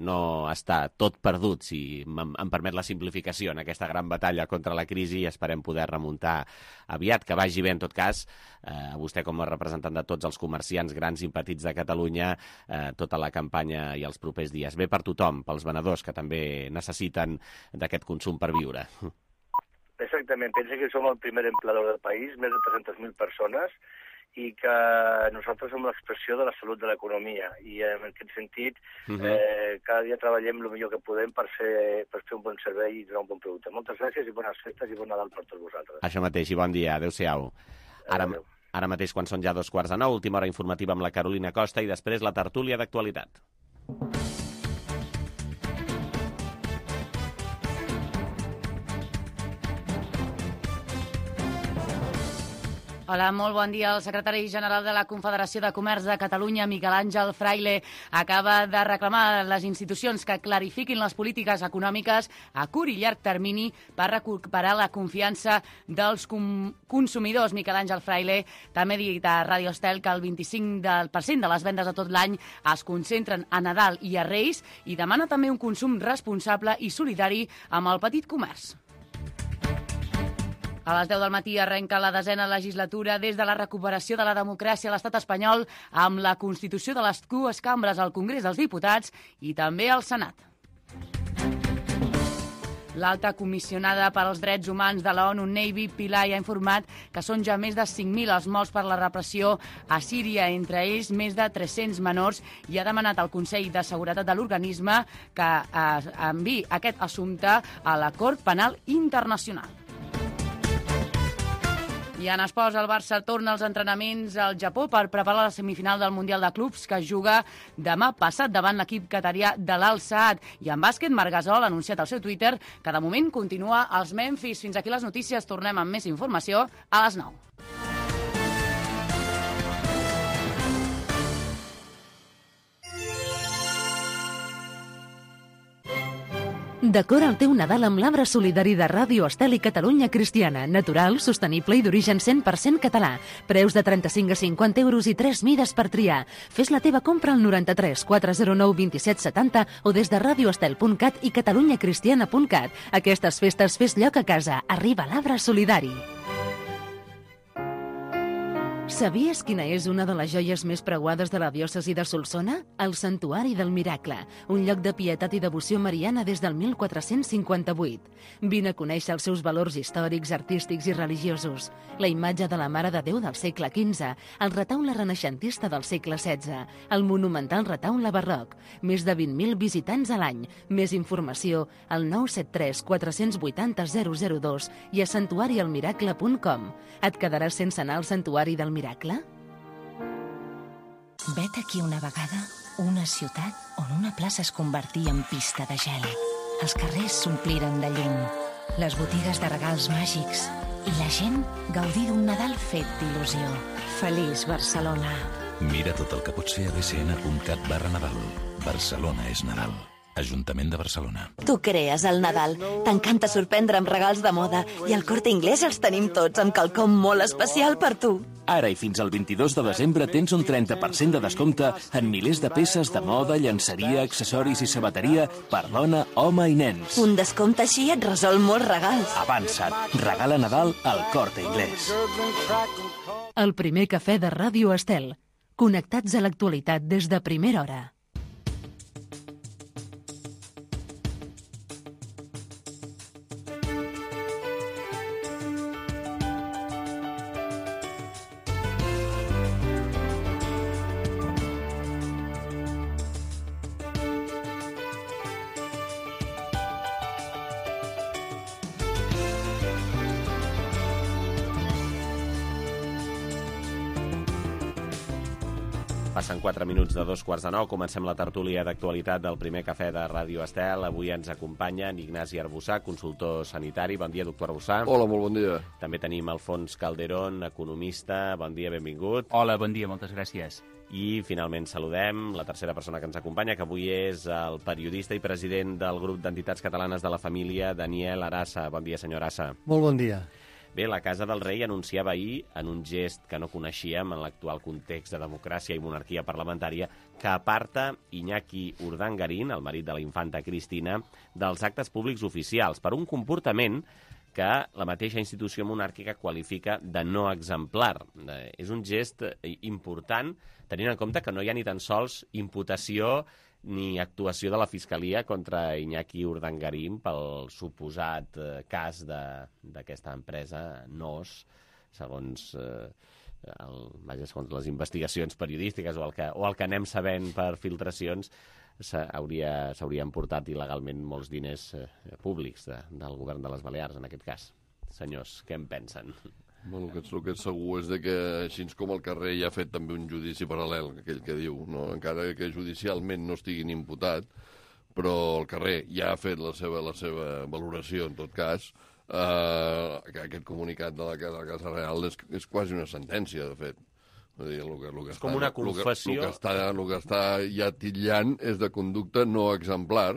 no està tot perdut, si em permet la simplificació, en aquesta gran batalla contra la crisi, i esperem poder remuntar aviat, que vagi bé en tot cas, a vostè com a representant de tots els comerciants grans i petits de Catalunya, tota la campanya i els propers dies. Bé per tothom, pels venedors que també necessiten d'aquest consum per viure. Exactament, pensa que som el primer empleador del país, més de 300.000 persones, i que nosaltres som l'expressió de la salut de l'economia. I en aquest sentit, cada dia treballem el millor que podem per fer un bon servei i donar un bon producte. Moltes gràcies i bones festes i bon Nadal per tots vosaltres. Això mateix, i bon dia. Adéu-siau. Ara mateix, quan són ja 8:45, última hora informativa amb la Carolina Costa i després la tertúlia d'actualitat. Hola, molt bon dia. El secretari general de la Confederació de Comerç de Catalunya, Miquel Àngel Fraile, acaba de reclamar a les institucions que clarifiquin les polítiques econòmiques a curt i llarg termini per recuperar la confiança dels consumidors. Miquel Àngel Fraile també ha dit a Radio Estel que el 25% de les vendes de tot l'any es concentren a Nadal i a Reis i demana també un consum responsable i solidari amb el petit comerç. A les 10 del matí arrenca la 10ª legislatura des de la recuperació de la democràcia a l'estat espanyol amb la constitució de les dues cambres al Congrés dels Diputats i també al Senat. L'alta comissionada per als drets humans de la ONU, Navy Pillay, ha informat que són ja més de 5.000 els morts per la repressió a Síria, entre ells més de 300 menors, i ha demanat al Consell de Seguretat de l'organisme que enviï aquest assumpte a la Cort Penal Internacional. I en esports, el Barça torna als entrenaments al Japó per preparar la semifinal del Mundial de Clubs que es juga demà passat davant l'equip qatarià de l'Al Saad. I en bàsquet, Marc Gasol ha anunciat al seu Twitter que de moment continua als Memphis. Fins aquí les notícies. Tornem amb més informació a les 9. Decora el teu Nadal amb l'arbre solidari de Ràdio Estel i Catalunya Cristiana. Natural, sostenible i d'origen 100% català. Preus de 35 a 50 euros i 3 mides per triar. Fes la teva compra al 93 409 27 70 o des de radioestel.cat i catalunyacristiana.cat. Aquestes festes fes lloc a casa. Arriba l'arbre solidari. Sabies quina és una de les joies més preuades de la diòcesi de Solsona? El Santuari del Miracle, un lloc de pietat i devoció mariana des del 1458. Vine a conèixer els seus valors històrics, artístics i religiosos. La imatge de la Mare de Déu del segle XV, el retaule renaixentista del segle XVI, el monumental retaule barroc, més de 20.000 visitants a l'any. Més informació al 973 480 002 i a santuarialmiracle.com. Et quedaràs sense anar al Santuari del Miracle? Vet aquí una vegada una ciutat on una plaça es convertia en pista de gel. Els carrers s'ompliren de llum, les botigues de regals màgics i la gent gaudir d'un Nadal fet d'il·lusió. Feliç Barcelona. Mira tot el que pots fer a bcn.cat/Nadal. Barcelona és Nadal. Ajuntament de Barcelona. Tu crees el Nadal. T'encanta sorprendre amb regals de moda i al Corte Inglés els tenim tots amb quelcom molt especial per tu. Ara i fins al 22 de desembre tens un 30% de descompte en milers de peces de moda, llenceria, accessoris i sabateria per dona, home i nens. Un descompte així et resol molts regals. Avança't. Regala Nadal al Corte Inglés. El primer cafè de Ràdio Estel. Connectats a l'actualitat des de primera hora. Passen 4 minuts de 2:15. Comencem la tertúlia d'actualitat del primer cafè de Ràdio Estel. Avui ens acompanya Ignasi Arbussà, consultor sanitari. Bon dia, doctor Arbussà. Hola, molt bon dia. També tenim Alfons Calderón, economista. Bon dia, benvingut. Hola, bon dia, moltes gràcies. I finalment saludem la tercera persona que ens acompanya, que avui és el periodista i president del grup d'entitats catalanes de la família, Daniel Arassa. Bon dia, senyor Arassa. Molt bon dia. Bé, la Casa del Rei anunciava ahir, en un gest que no coneixíem en l'actual context de democràcia i monarquia parlamentària, que aparta Iñaki Urdangarín, el marit de la infanta Cristina, dels actes públics oficials per un comportament que la mateixa institució monàrquica qualifica de no exemplar. És un gest important, tenint en compte que no hi ha ni tan sols imputació ni actuació de la Fiscalia contra Iñaki Urdangarín pel suposat cas d'aquesta empresa NOS, segons les investigacions periodístiques o el que anem sabent per filtracions, s'haurien portat il·legalment molts diners públics del govern de les Balears, en aquest cas. Senyors, què en pensen? Bueno, el que és segur és que, així com el carrer ja ha fet també un judici paral·lel, aquell que diu, no? Encara que judicialment no estiguin imputat, però el carrer ja ha fet la seva valoració, en tot cas, aquest comunicat de la Casa Real és quasi una sentència, de fet. És com una confessió. El que està ja titllant és de conducta no exemplar,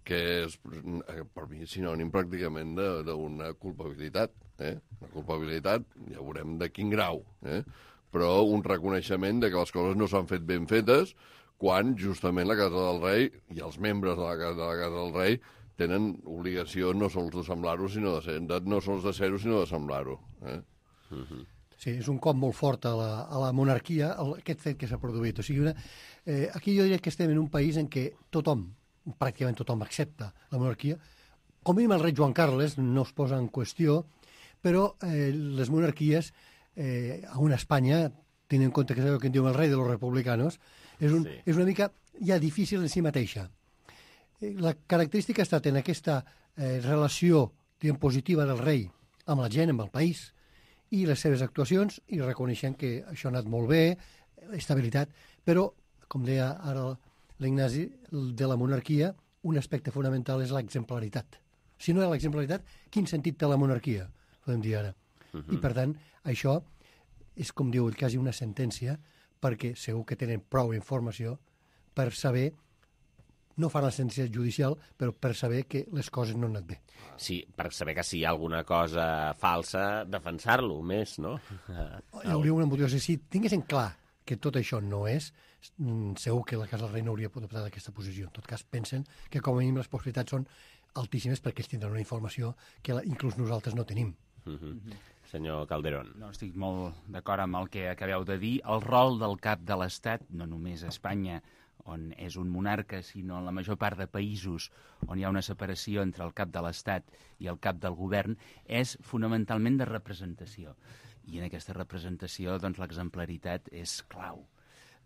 que és, per mi, sinònim pràcticament d'una culpabilitat. Una culpabilitat, ja veurem de quin grau, però un reconeixement de que les coses no s'han fet ben fetes quan justament la Casa del Rei i els membres de la Casa del Rei tenen obligació no sols de semblar-ho, no sols de ser-ho, sinó de semblar-ho. Sí, és un cop molt fort a la monarquia, aquest fet que s'ha produït. O sigui, aquí jo diria que estem en un país en què pràcticament tothom accepta la monarquia. Com a mínim el rei Joan Carles no es posa en qüestió, però les monarquies a una Espanya, tenint en compte que és allò que en diuen el rei de los republicanos, és una mica ja difícil en si mateixa. La característica ha estat en aquesta relació positiva del rei amb la gent, amb el país, i les seves actuacions, i reconeixent que això ha anat molt bé, estabilitat, però, com deia ara l'Ignasi, de la monarquia, un aspecte fonamental és l'exemplaritat. Si no hi ha l'exemplaritat, quin sentit té la monarquia? Podem dir ara. I, per tant, això és, com diu quasi una sentència, perquè segur que tenen prou informació per saber, no fan la sentència judicial, però per saber que les coses no han anat bé. Sí, per saber que si hi ha alguna cosa falsa, defensar-lo més, no? Hi hauria una motivació. Si tinguessin clar que tot això no és, segur que la Casa del Rei no hauria adoptat aquesta posició. En tot cas, pensen que com a mínim les possibilitats són altíssimes perquè ells tindran una informació que inclús nosaltres no tenim. Senyor Calderón. No, estic molt d'acord amb el que acabeu de dir. El rol del cap de l'Estat, no només a Espanya, on és un monarca, sinó en la major part de països on hi ha una separació entre el cap de l'Estat i el cap del govern, és fonamentalment de representació. I en aquesta representació, doncs, l'exemplaritat és clau.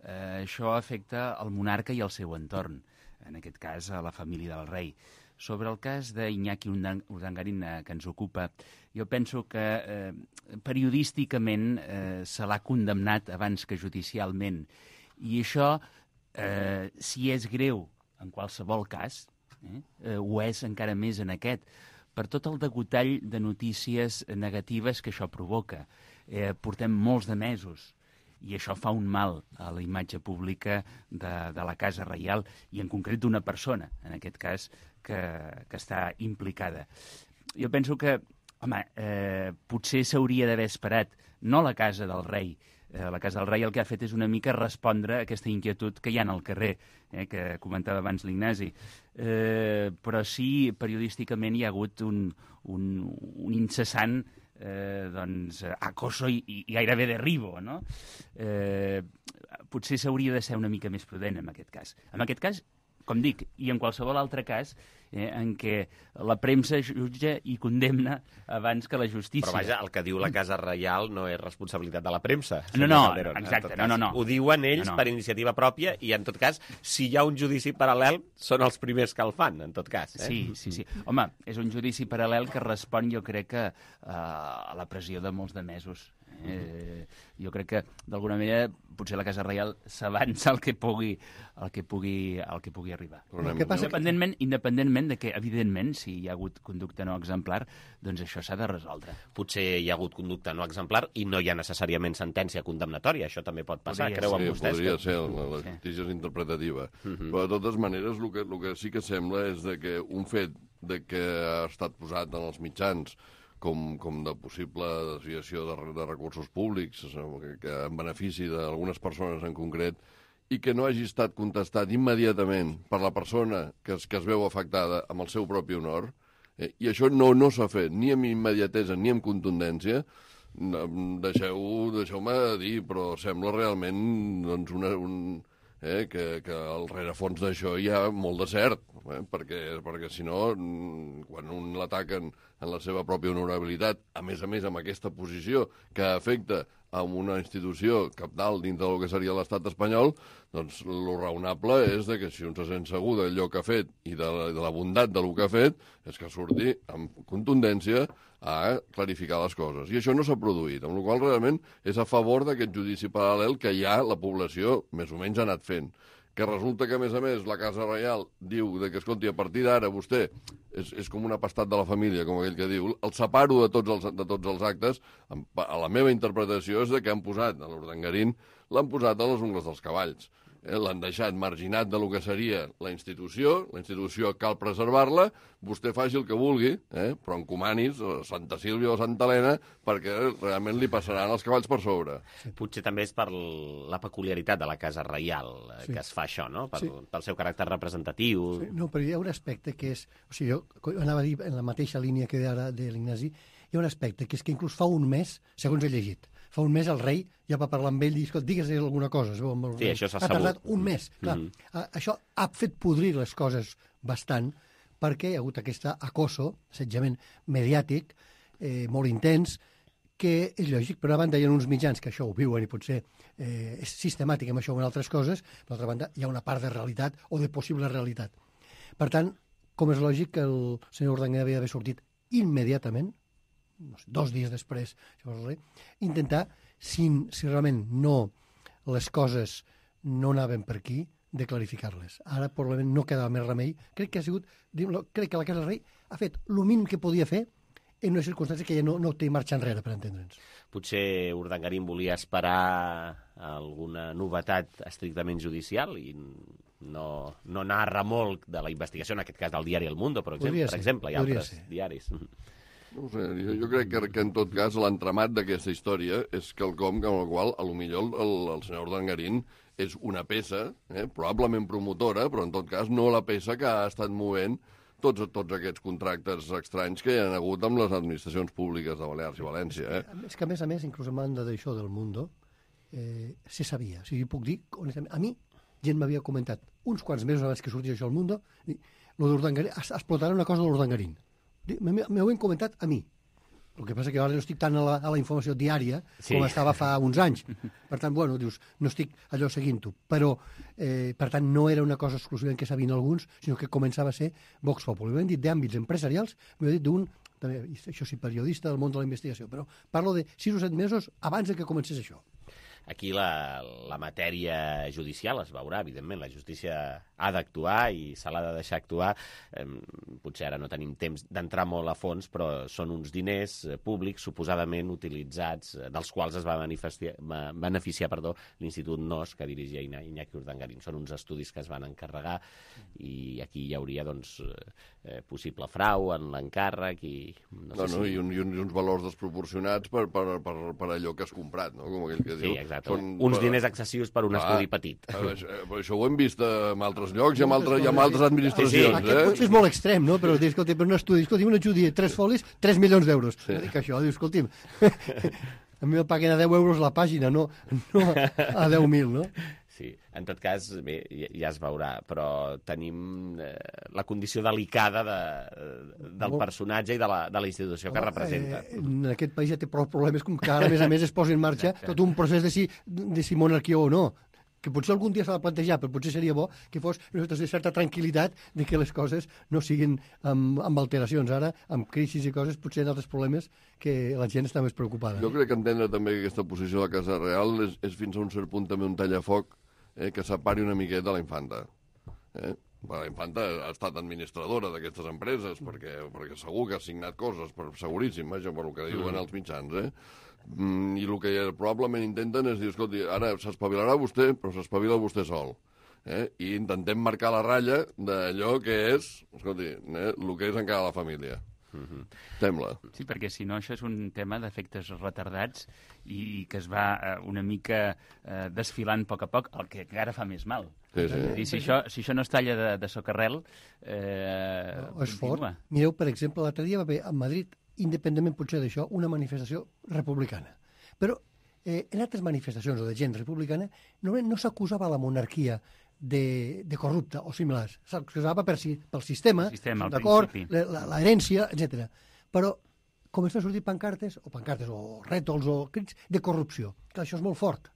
Això afecta el monarca i el seu entorn, en aquest cas a la família del rei. Sobre el cas d'Iñaki Urdangarín que ens ocupa, jo penso que periodísticament se l'ha condemnat abans que judicialment. I això, si és greu en qualsevol cas, ho és encara més en aquest, per tot el degotall de notícies negatives que això provoca. Portem molts de mesos i això fa un mal a la imatge pública de la Casa Reial i en concret d'una persona, en aquest cas, que està implicada. Jo penso que, potser s'hauria d'haver esperat, no la Casa del Rei. La Casa del Rei el que ha fet és una mica respondre a aquesta inquietud que hi ha al carrer, que comentava abans l'Ignasi. Però sí, periodísticament hi ha hagut un incessant acoso i gairebé derribo, no? Potser s'hauria de ser una mica més prudent en aquest cas. En aquest cas, com dic, i en qualsevol altre cas en què la premsa jutja i condemna abans que la justícia. Però vaja, el que diu la Casa Reial no és responsabilitat de la premsa. No, exacte, no. Ho diuen ells per iniciativa pròpia i, en tot cas, si hi ha un judici paral·lel, són els primers que el fan, en tot cas. Sí. Home, és un judici paral·lel que respon, jo crec, a la pressió de molts de mesos. Jo crec que, d'alguna manera, potser la Casa Reial s'avança al que pugui arribar. Independentment de que, evidentment, si hi ha hagut conducta no exemplar, doncs això s'ha de resoldre. Potser hi ha hagut conducta no exemplar i no hi ha necessàriament sentència condemnatòria. Això també pot passar, creuen vostès? Podria ser, la justícia és interpretativa. Però, de totes maneres, el que sí que sembla és que un fet de que ha estat posat en els mitjans com de possible desviació de recursos públics en benefici d'algunes persones en concret i que no hagi estat contestat immediatament per la persona que es veu afectada amb el seu propi honor, i això no s'ha fet ni amb immediatesa ni amb contundència, deixeu-me dir, però sembla realment que al rerefons d'això hi ha molt de cert, perquè si no, quan un l'ataquen en la seva pròpia honorabilitat, a més amb aquesta posició que afecta a una institució cabdal dintre del que seria l'estat espanyol, doncs lo raonable és que si un se sent segur d'allò que ha fet i de la bondat del que ha fet, és que surti amb contundència a clarificar les coses. I això no s'ha produït, amb la qual cosa realment és a favor d'aquest judici paral·lel que ja la població més o menys ha anat fent. Que resulta que, a més, la Casa Reial diu que, escolti, a partir d'ara vostè és com un apastat de la família, com aquell que diu, el separo de tots els actes, a la meva interpretació és que han posat a l'Urdangarín, l'han posat a les ungles dels cavalls. L'han deixat marginat de lo que seria la institució cal preservar-la, vostè faci el que vulgui, però encomanis a Santa Sílvia o Santa Helena perquè realment li passaran els cavalls per sobre. Potser també és per la peculiaritat de la Casa Reial que es fa això, no? Pel seu caràcter representatiu. No, però hi ha un aspecte que és... O sigui, jo anava a dir en la mateixa línia que ara de l'Ignasi, hi ha un aspecte que és que inclús fa un mes, segons he llegit, fa un mes el rei ja va parlar amb ell i diu, digues alguna cosa. Sí, això s'ha sabut. Ha tardat un mes. Clar, això ha fet podrir les coses bastant perquè hi ha hagut aquest acoso, assetjament mediàtic, molt intens, que és lògic. Per una banda hi ha uns mitjans que això ho viuen i potser és sistemàtic amb això o en altres coses, per l'altra banda hi ha una part de realitat o de possible realitat. Per tant, com és lògic que el senyor Urdangarín havia d'haver sortit immediatament, no sé, 2 dies després, intentar, si realment les coses no anaven per aquí, de clarificar-les. Ara, probablement, no quedava més remei. Crec que la Casa del Rei ha fet el mínim que podia fer en una circumstància que ja no té marxa enrere, per entendre'ns. Potser Urdangarín volia esperar alguna novetat estrictament judicial i no anar a remolc de la investigació, en aquest cas del diari El Mundo, per exemple, i altres diaris. No sé, jo crec que en tot cas l'entramat d'aquesta història és quelcom amb el qual potser el senyor Urdangarín és una peça, probablement promotora, però en tot cas no la peça que ha estat movent tots aquests contractes estranys que hi ha hagut amb les administracions públiques de Balears i València. És que, a més, inclús a banda d'això del Mundo, se sabia. O sigui, puc dir, honestament, a mi gent m'havia comentat uns quants mesos abans que sortís això al Mundo, explotarà una cosa de l'Urdangarín. M'ho han comentat a mi. El que passa que ara no estic tant a la informació diària com estava fa uns anys. Per tant, dius, no estic allò seguint-ho. Però, per tant, no era una cosa exclusivament que sabien alguns, sinó que començava a ser Vox Populi. M'ho han dit d'àmbits empresarials, m'ho han dit d'un, també, això sí, periodista del món de la investigació, però parlo de 6 o 7 mesos abans que comencés això. Aquí la matèria judicial es veurà, evidentment, la justícia ha d'actuar i se l'ha de deixar actuar. Potser ara no tenim temps d'entrar molt a fons, però són uns diners públics suposadament utilitzats, dels quals es va beneficiar l'Institut NOS que dirigia Iñaki Urdangarín. Són uns estudis que es van encarregar i aquí hi hauria possible frau en l'encàrrec i... I uns valors desproporcionats per allò que has comprat, no? Com aquell que diu. Sí, exacte. Uns diners excessius per un estudi petit. Això ho hem vist en altres llocs i amb altres administracions. Aquest potser és molt extrem, no? Però escolti, per un estudi, un estudi de 3 folis, 3 milions d'euros. Dic això, escolti'm, a mi me paguen a 10 euros la pàgina, no a 10.000, no? Sí, en tot cas, bé, ja es veurà, però tenim la condició delicada del personatge i de la institució que representa. En aquest país ja té prou problemes com que ara, a més es posa en marxa tot un procés de si monarquia o no. que potser algun dia s'ha de plantejar, però potser seria bo que fos una certa tranquil·litat de que les coses no siguin amb alteracions. Ara, amb crisis i coses, potser hi ha altres problemes que la gent està més preocupada. Jo crec que entendre també que aquesta posició de la Casa Real és fins a un cert punt també un tallafoc que separi una miqueta la infanta. La infanta ha estat administradora d'aquestes empreses perquè segur que ha signat coses, seguríssim, vaja, per el que diuen els mitjans, i el que probablement intenten és dir, escolti, ara s'espavilarà vostè, però s'espavila vostè sol. I intentem marcar la ratlla d'allò que és, escolti, el que és encara la família. Sembla. Sí, perquè si no això és un tema d'efectes retardats i que es va una mica desfilant a poc, el que encara fa més mal. Sí, sí. I si això no es talla de socarrel, és fort. Mireu, per exemple, l'altre dia va haver a Madrid, independentment potser d'això, una manifestació republicana. Però en altres manifestacions o de gent republicana no s'acusava la monarquia de corrupta o similars. S'acusava pel sistema, d'acord, l'herència, etc. Però comencen a sortir pancartes o rètols o crits de corrupció. Que això és molt fort.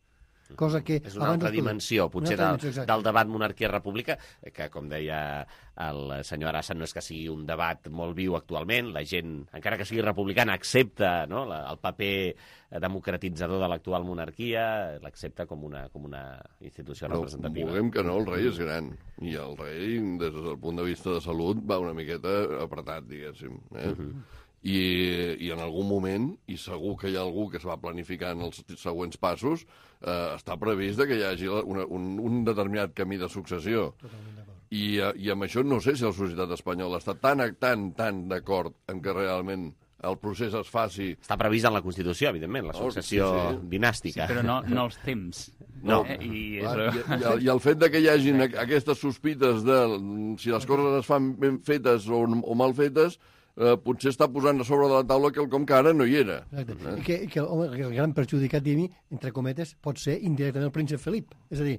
Cosa que és una altra dimensió, potser del debat monarquia-república, que, com deia el senyor Arassa, no és que sigui un debat molt viu actualment, la gent, encara que sigui republicana, accepta el paper democratitzador de l'actual monarquia, l'accepta com una institució representativa. No, vulguem que no, el rei és gran, i el rei, des del punt de vista de salut, va una miqueta apretat, diguéssim. I en algun moment, i segur que hi ha algú que es va planificant els següents passos, està previst que hi hagi un determinat camí de successió. I amb això no sé si la societat espanyola està tan d'acord en que realment el procés es faci... Està previst en la Constitució, evidentment, la successió dinàstica. Sí, però no els temps. No. I el fet que hi hagin aquestes sospites de si les coses es fan ben fetes o mal fetes, potser està posant a sobre de la taula quelcom que ara no hi era. I que el gran perjudicat, diguem, entre cometes, pot ser indirectament el príncep Felip. És a dir,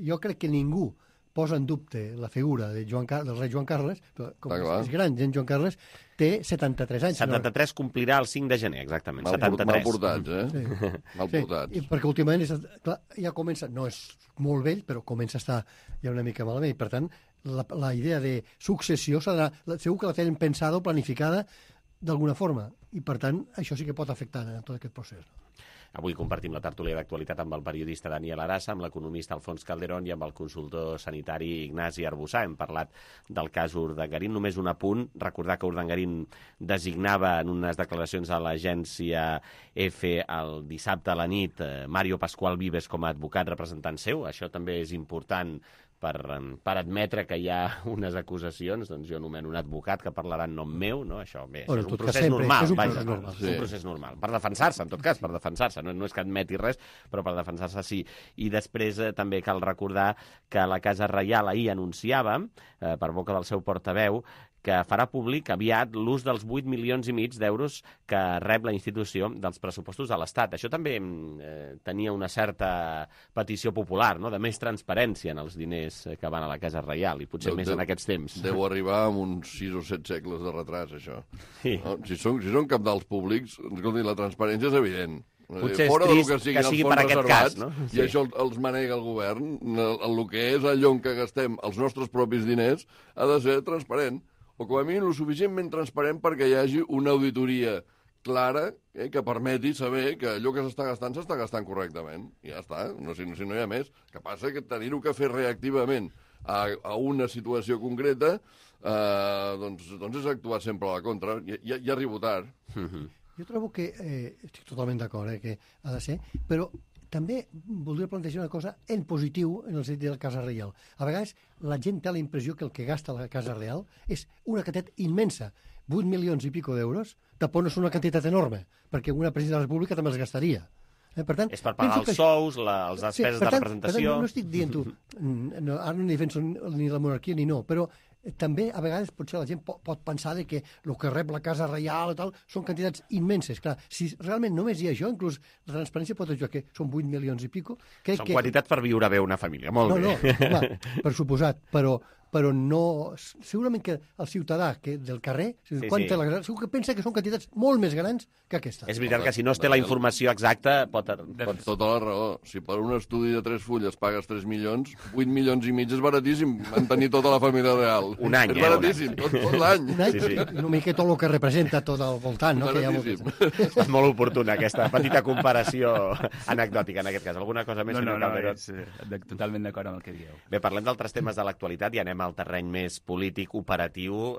jo crec que ningú posa en dubte la figura del rei Joan Carles, però com és gran, Joan Carles té 73 anys. 73 complirà el 5 de gener, exactament. 73. Mal portats, Sí. Mal portats. Perquè últimament ja comença, no és molt vell, però comença a estar ja una mica malament, i per tant la idea de successió segur que la tenen pensada o planificada d'alguna forma, i per tant això sí que pot afectar en tot aquest procés. Avui compartim la tertúlia d'actualitat amb el periodista Daniel Arassa, amb l'economista Alfons Calderón i amb el consultor sanitari Ignasi Arbussà. Hem parlat del cas Urdangarín. Només un apunt, recordar que Urdangarín designava en unes declaracions a l'agència EFE el dissabte a la nit Mario Pascual Vives com a advocat representant seu. Això també és important per admetre que hi ha unes acusacions, doncs jo nomeno un advocat que parlarà en nom meu, no? Això bé, és un procés normal, un procés normal. Per defensar-se, en tot cas, per defensar-se. No és que admeti res, però per defensar-se sí. I després també cal recordar que la Casa Reial ahir anunciava, per boca del seu portaveu, que farà públic aviat l'ús dels 8,5 milions d'euros que rep la institució dels pressupostos de l'Estat. Això també tenia una certa petició popular, no?, de més transparència en els diners que van a la Casa Reial, i potser més en aquests temps. Deu arribar amb uns 6 o 7 segles de retras, això. Sí. No? Si són cabdals públics, escolti, la transparència és evident. Potser és trist que sigui per aquest cas, no? I això els manega el govern. El que és allò en què gastem els nostres propis diners ha de ser transparent, o com a mínim lo suficientment transparent perquè hi hagi una auditoria clara que permeti saber que allò que s'està gastant correctament. I ja està, si no hi ha més. Que passa que tenir-ho que fer reactivament a una situació concreta doncs és actuar sempre a la contra. Ja arribo tard. Jo trobo que, estic totalment d'acord, que ha de ser, però també voldria plantejar una cosa en positiu en el sentit de la Casa Reial. A vegades la gent té la impressió que el que gasta la Casa Reial és una quantitat immensa. 8 milions i pico d'euros tampoc no és una quantitat enorme, perquè una presidenta de la República també els gastaria. Per tant, és per pagar els sous, les despeses de representació... Per tant, no estic dient-ho, ara no defenso ni la monarquia ni no, però també a vegades potser la gent pot pensar que el que rep la Casa Reial i tal són quantitats immenses. Clar, si realment només hi ha això, inclús la transparència pot ajudar que són 8 milions i pico... Són quantitats per viure bé una família, molt bé. No, per suposat, però però no... Segurament que el ciutadà del carrer, segur que pensa que són quantitats molt més grans que aquesta. És veritat que si no es té la informació exacta pot... Tota la raó. Si per un estudi de 3 fulles pagues 3 milions, 8 milions i mig és baratíssim mantenir tota la família real. Un any, és baratíssim, tot l'any. Un any, una mica tot el que representa tot al voltant, no? És molt oportuna aquesta petita comparació anecdòtica en aquest cas. Alguna cosa més? No, totalment d'acord amb el que dieu. Bé, parlem d'altres temes de l'actualitat i anem al terreny més polític, operatiu.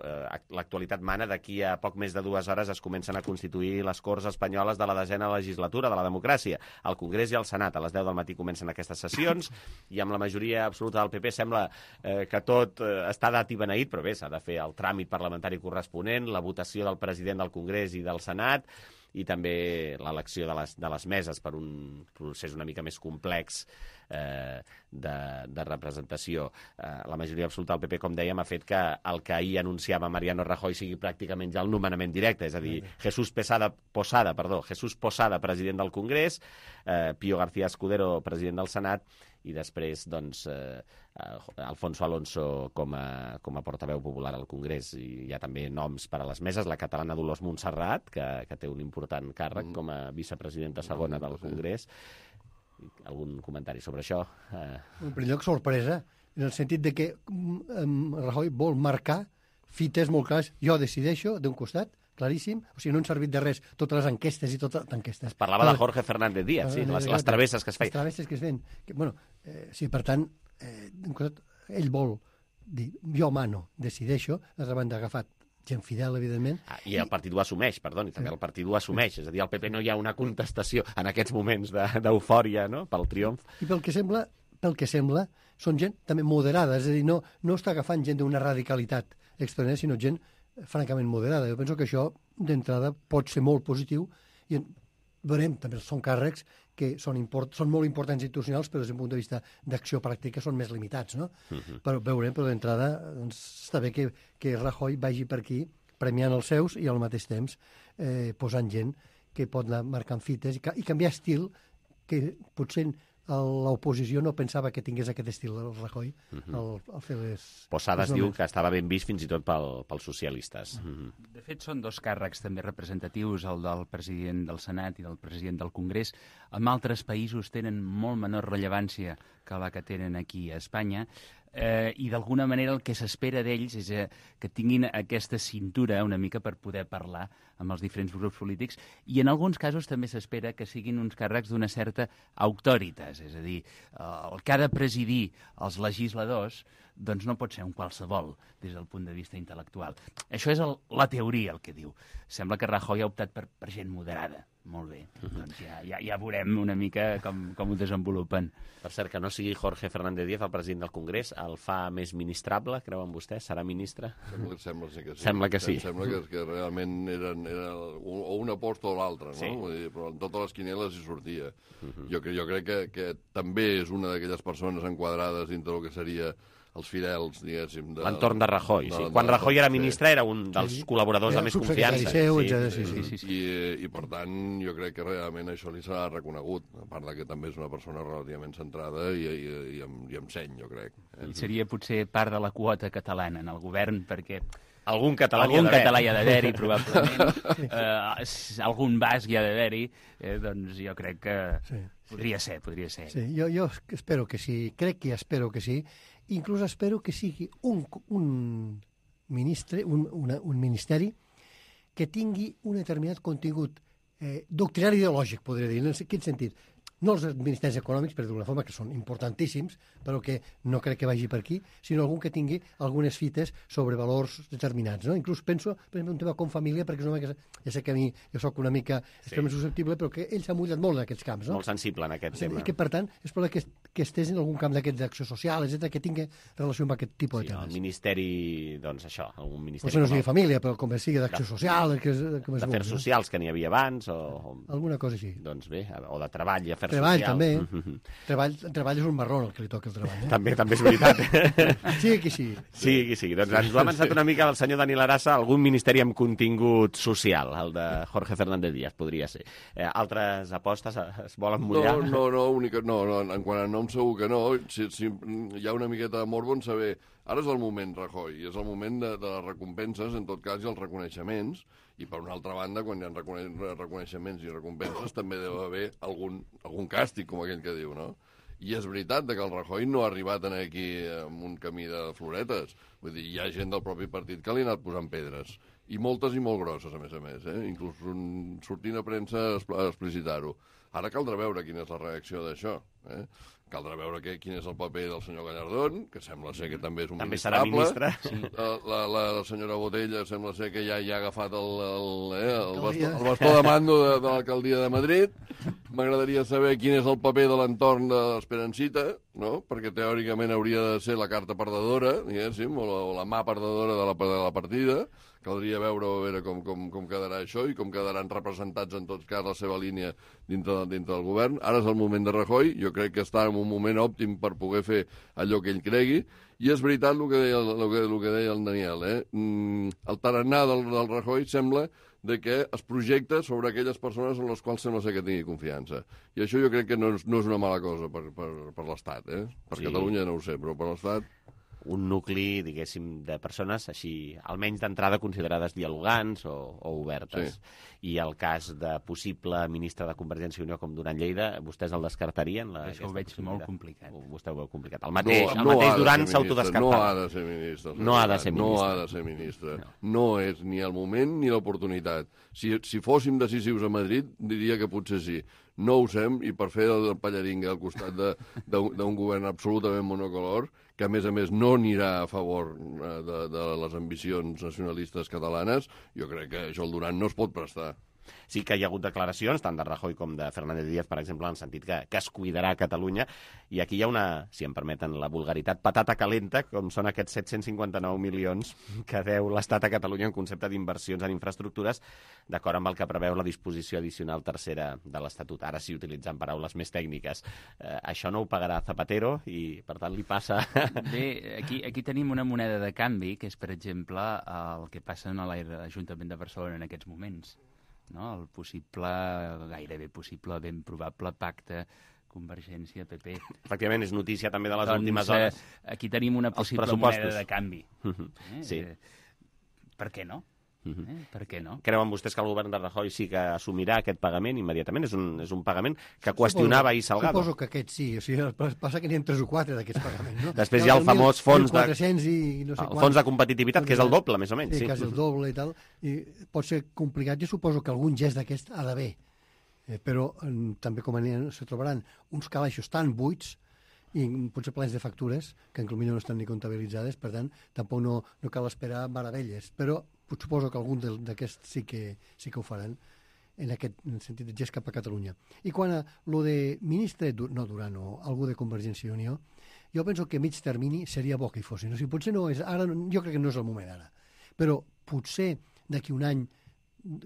L'actualitat mana. D'aquí a poc més de 2 hores es comencen a constituir les Corts Espanyoles de la 10ª legislatura de la democràcia. Al Congrés i al Senat. A les 10 del matí comencen aquestes sessions i amb la majoria absoluta del PP sembla que tot està dat i beneït, però bé, s'ha de fer el tràmit parlamentari corresponent, la votació del president del Congrés i del Senat i també l'elecció de les meses per un procés una mica més complex de representació. La majoria absoluta del PP, com dèiem, ha fet que el que ahir anunciava Mariano Rajoy sigui pràcticament ja el nomenament directe, és a dir, Jesús Posada, president del Congrés, Pío García Escudero, president del Senat, i després, doncs, Alfonso Alonso com a portaveu popular al Congrés. I hi ha també noms per a les meses, la catalana Dolors Montserrat, que té un important càrrec com a vicepresidenta segona del Congrés. Algun comentari sobre això? En primer lloc, sorpresa, en el sentit de que Rajoy vol marcar fites molt clares. Jo decideixo, d'un costat, claríssim, o sigui, no han servit de res totes les enquestes i totes les enquestes. Es parlava de Jorge Fernández Díaz, sí, les travesses que es feien. Les travesses que es feien. Sí, per tant, d'un costat, ell vol dir, jo mano, decideixo, l'altra banda ha agafat gent fidel, evidentment. I el partit ho assumeix, perdoni, també el partit ho assumeix, és a dir, al PP no hi ha una contestació en aquests moments d'eufòria, no?, pel triomf. I pel que sembla, són gent també moderada, és a dir, no està agafant gent d'una radicalitat extraordinària, sinó gent francament moderada. Jo penso que això, d'entrada, pot ser molt positiu i veurem, també són càrrecs que són molt importants institucionals, però des d'un punt de vista d'acció pràctica són més limitats, no? Però veurem, però d'entrada doncs, està bé que Rajoy vagi per aquí premiant els seus i al mateix temps posant gent que pot anar marcant fites i canviar estil que potser l'oposició no pensava que tingués aquest estil del Rajoy al fer les... Posadas diu que estava ben vist fins i tot pels socialistes. De fet, són 2 càrrecs també representatius, el del president del Senat i del president del Congrés. En altres països tenen molt menor rellevància que la que tenen aquí a Espanya, i d'alguna manera el que s'espera d'ells és que tinguin aquesta cintura una mica per poder parlar amb els diferents grups polítics, i en alguns casos també s'espera que siguin uns càrrecs d'una certa autoritas, és a dir, el que ha de presidir els legisladors doncs no pot ser un qualsevol des del punt de vista intel·lectual. Això és la teoria, el que diu. Sembla que Rajoy ha optat per gent moderada. Molt bé, doncs ja veurem una mica com ho desenvolupen. Per cert, que no sigui Jorge Fernández Díaz, el president del Congrés, el fa més ministrable, creuen vostès? Serà ministre? Sembla que sí. Sembla que sí. Sembla que realment era o una aposta o l'altra, no? Sí. Però en totes les quinieles hi sortia. Jo crec que també és una d'aquelles persones enquadrades dintre del que seria els fidels, diguéssim... L'entorn de Rajoy, sí. Quan Rajoy era ministre era un dels col·laboradors de més confiança. I per tant, jo crec que realment això li serà reconegut, a part que també és una persona relativament centrada i amb seny, jo crec. I seria potser part de la quota catalana en el govern, perquè... Algun català hi ha d'haver-hi, probablement. Algun basc hi ha d'haver-hi. Doncs jo crec que podria ser. Sí, jo espero que sí, crec que espero que sí. Inclús espero que sigui un ministeri que tingui un determinat contingut doctrinari ideològic, podria dir. En quin sentit? No els ministeris econòmics, per d'alguna forma, que són importantíssims, però que no crec que vagi per aquí, sinó algun que tingui algunes fites sobre valors determinats. No? Inclús penso, per exemple, un tema com família, perquè és un home que ja sé que a mi jo soc una mica extremament susceptible, però que ell s'ha mullat molt en aquests camps. No? Molt sensible en aquest tema. I que, per tant, és probable que estés en algun camp d'aquests d'acció social, etc., que tingui relació amb aquest tipus de temes. El ministeri, doncs això, algun ministeri... Potser no sigui família, però com sigui d'acció social... D'afers socials, que n'hi havia abans, o... Alguna cosa així. Doncs bé, o de treball i afers treball, social. També. Treball és un marrón el que li toca el treball. També és veritat. Sí que sí. Sí. Doncs ens ho ha avançat una mica el senyor Daniel Arassa, algun ministeri amb contingut social, el de Jorge Fernández Díaz, podria ser. Altres apostes es volen mullar? No, en quant a nom segur que no. Si hi ha una miqueta de morbo en saber... Ara és el moment, Rajoy, és el moment de les recompenses, en tot cas, i els reconeixements, i per una altra banda, quan hi ha reconeixements i recompenses, també deu haver algun càstig, com aquell que diu, no? I és veritat que el Rajoy no ha arribat aquí amb un camí de floretes. Vull dir, hi ha gent del propi partit que li ha anat posant pedres. I moltes i molt grosses, a més. Inclús sortint a premsa a explicitar-ho. Ara caldrà veure quina és la reacció d'això. Caldrà veure quin és el paper del senyor Gallardón, que sembla ser que també és un ministrable. També serà ministre. La senyora Botella sembla ser que ja ha agafat el bastó de mando de l'alcaldia de Madrid. M'agradaria saber quin és el paper de l'entorn de l'Esperancita, no? Perquè teòricament hauria de ser la carta perdedora, diguéssim, o la mà perdedora de la partida. Caldria veure com quedarà això i com quedaran representats en tot cas la seva línia dintre del govern. Ara és el moment de Rajoy, jo crec que està en un moment òptim per poder fer allò que ell cregui, i és veritat el que deia el Daniel. El tarannà del Rajoy sembla que es projecta sobre aquelles persones en les quals sembla ser que tingui confiança. I això jo crec que no és una mala cosa per l'Estat. Per Catalunya no ho sé, però per l'Estat... Un nucli, diguéssim, de persones així, almenys d'entrada considerades dialogants o obertes. Sí. I el cas de possible ministre de Convergència i Unió com Duran Lleida, vostès el descartarien? Això ho veig molt complicat. Vostè ho veu complicat. El mateix Duran s'autodescartava. No ha de ser ministre. No ha de ser ministre. No ha de ser ministre. No és ni el moment ni l'oportunitat. Si fóssim decisius a Madrid, diria que potser sí. No ho sem, i per fer el pallaringa al costat d'un govern absolutament monocolor, que a més no anirà a favor de les ambicions nacionalistes catalanes, jo crec que això el Duran no es pot prestar. Sí que hi ha hagut declaracions, tant de Rajoy com de Fernández Díaz, per exemple, en el sentit que es cuidarà Catalunya, i aquí hi ha una, si em permeten la vulgaritat, patata calenta, com són aquests 759 milions que deu l'Estat a Catalunya en concepte d'inversions en infraestructures, d'acord amb el que preveu la disposició addicional tercera de l'Estatut. Ara sí, utilitzant paraules més tècniques. Això no ho pagarà Zapatero i, per tant, li passa... Bé, aquí tenim una moneda de canvi, que és, per exemple, el que passa a l'Ajuntament de Barcelona en aquests moments. No? El possible, gairebé possible, ben probable pacte Convergència-PP. Efectivament, és notícia també de les últimes hores. Aquí tenim una possible moneda de canvi. Sí. Per què no? Per què no? Creuen vostès que el govern de Rajoy sí que assumirà aquest pagament immediatament? És un pagament que qüestionava ahir Salgado. Suposo que aquest sí. O sigui, passa que n'hi ha 3 o 4 d'aquests pagaments. No? Després hi ha el famós fons de... fons de competitivitat, que és el doble, més o menys. Sí, quasi el doble i tal. I pot ser complicat. Jo suposo que algun gest d'aquest ha d'haver. Però també com se trobaran uns calaixos tan buits i potser plens de factures que en Clumina no estan ni comptabilitzades, per tant, tampoc no cal esperar meravelles. Però suposo que algun d'aquests sí que ho faran en aquest sentit de gest cap a Catalunya. I quan a lo de ministre, no Duran, o algú de Convergència i Unió, jo penso que a mig termini seria bo que hi fossin. O sigui, potser no és, ara, jo crec que no és el moment ara, però potser d'aquí un any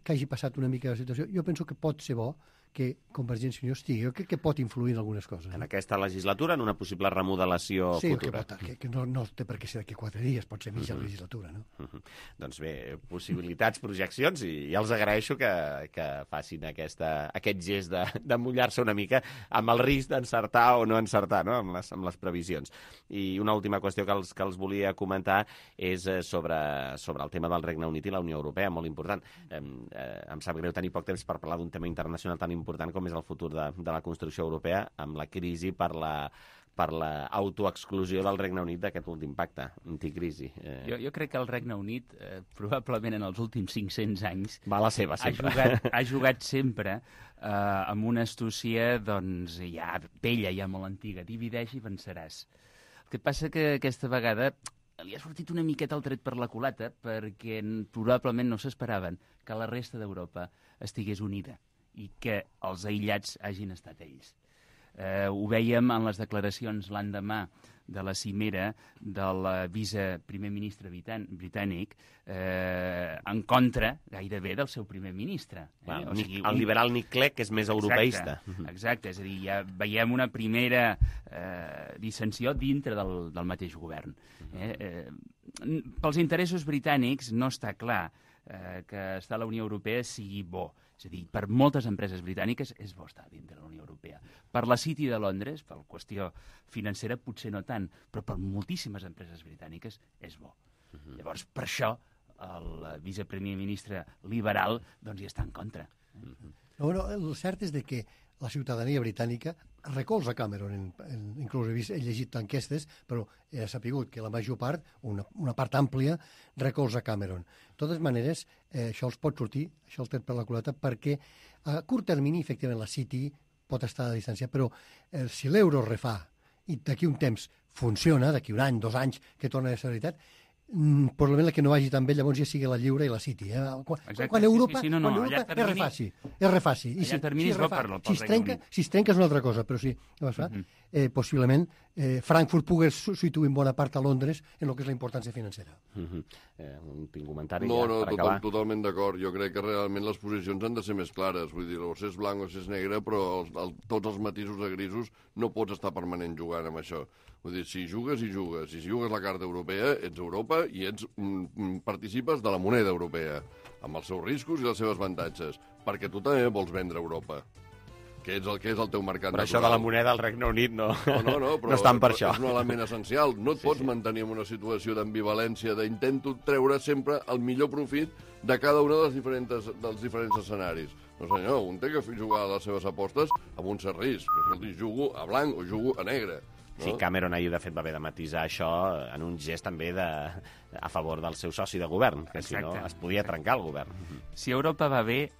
que hagi passat una mica la situació, jo penso que pot ser bo que Convergència i Unió estigui. Jo crec que pot influir en algunes coses. En aquesta legislatura, en una possible remodelació futura. Sí, que no té per què ser d'aquí 4 dies, pot ser mitja legislatura, no? Doncs bé, possibilitats, projeccions, i ja els agraeixo que facin aquest gest de mullar-se una mica amb el risc d'encertar o no encertar, no? amb les previsions. I una última qüestió que els volia comentar és sobre el tema del Regne Unit i la Unió Europea, molt important. Em sap greu tenir poc temps per parlar d'un tema internacional tan important com és el futur de la construcció europea amb la crisi per l'autoexclusió del Regne Unit d'aquest últim pacte anticrisi. Jo crec que el Regne Unit, probablement en els últims 500 anys, va a la seva, sempre. Ha jugat sempre amb una astúcia ja vella, ja molt antiga. Divideix i venceràs. El que passa que aquesta vegada li ha sortit una miqueta el tret per la culata perquè probablement no s'esperaven que la resta d'Europa estigués unida i que els aïllats hagin estat ells. Ho vèiem en les declaracions l'endemà de la cimera del viceprimer ministre britànic en contra gairebé del seu primer ministre. O sigui, el liberal Nick Clegg és més europeista. Exacte, és a dir, ja veiem una primera dissensió dintre del mateix govern. Pels interessos britànics no està clar que estar a la Unió Europea sigui bo. És a dir, per moltes empreses britàniques és bo estar dintre de la Unió Europea. Per la City de Londres, per qüestió financera, potser no tant, però per moltíssimes empreses britàniques és bo. Llavors, per això, el viceprimer ministre liberal doncs, hi està en contra. Bueno, el cert és que la ciutadania britànica recolza Cameron. Inclús he llegit enquestes, però he sapigut que la major part, una part àmplia, recolza Cameron. De totes maneres, això els pot sortir, això el té per la culata, perquè a curt termini, efectivament, la City pot estar a distància, però si l'euro refà i d'aquí un temps funciona, d'aquí un any, 2 anys, que torna a ser veritat, probablement la que no vagi tan bé llavors ja sigui la Lliure i la City. Quan Europa és refaci. Si es trenca és una altra cosa, però sí, possiblement Frankfurt pugui substituir en bona part a Londres en el que és la importància financera. Un comentari per acabar. Totalment d'acord. Jo crec que realment les posicions han de ser més clares. Vull dir, o s'és blanc o s'és negre, però tots els matisos de grisos no pots estar permanent jugant amb això. Vull dir, si jugues, si jugues la carta europea, ets Europa i participes de la moneda europea, amb els seus riscos i les seves avantatges, perquè tu també vols vendre Europa, que és el teu mercat natural. Però això de la moneda al Regne Unit no però estan per això. És un element essencial. No et pots mantenir en una situació d'ambivalència, d'intento treure sempre el millor profit de cada un dels diferents escenaris. No senyor, un té que jugar a les seves apostes amb un cert risc. Escolti, jugo a blanc o jugo a negre. Sí, Cameron ahir, de fet, va haver de matisar això en un gest també a favor del seu soci de govern, que si no es podia trencar el govern. Si Europa va bé,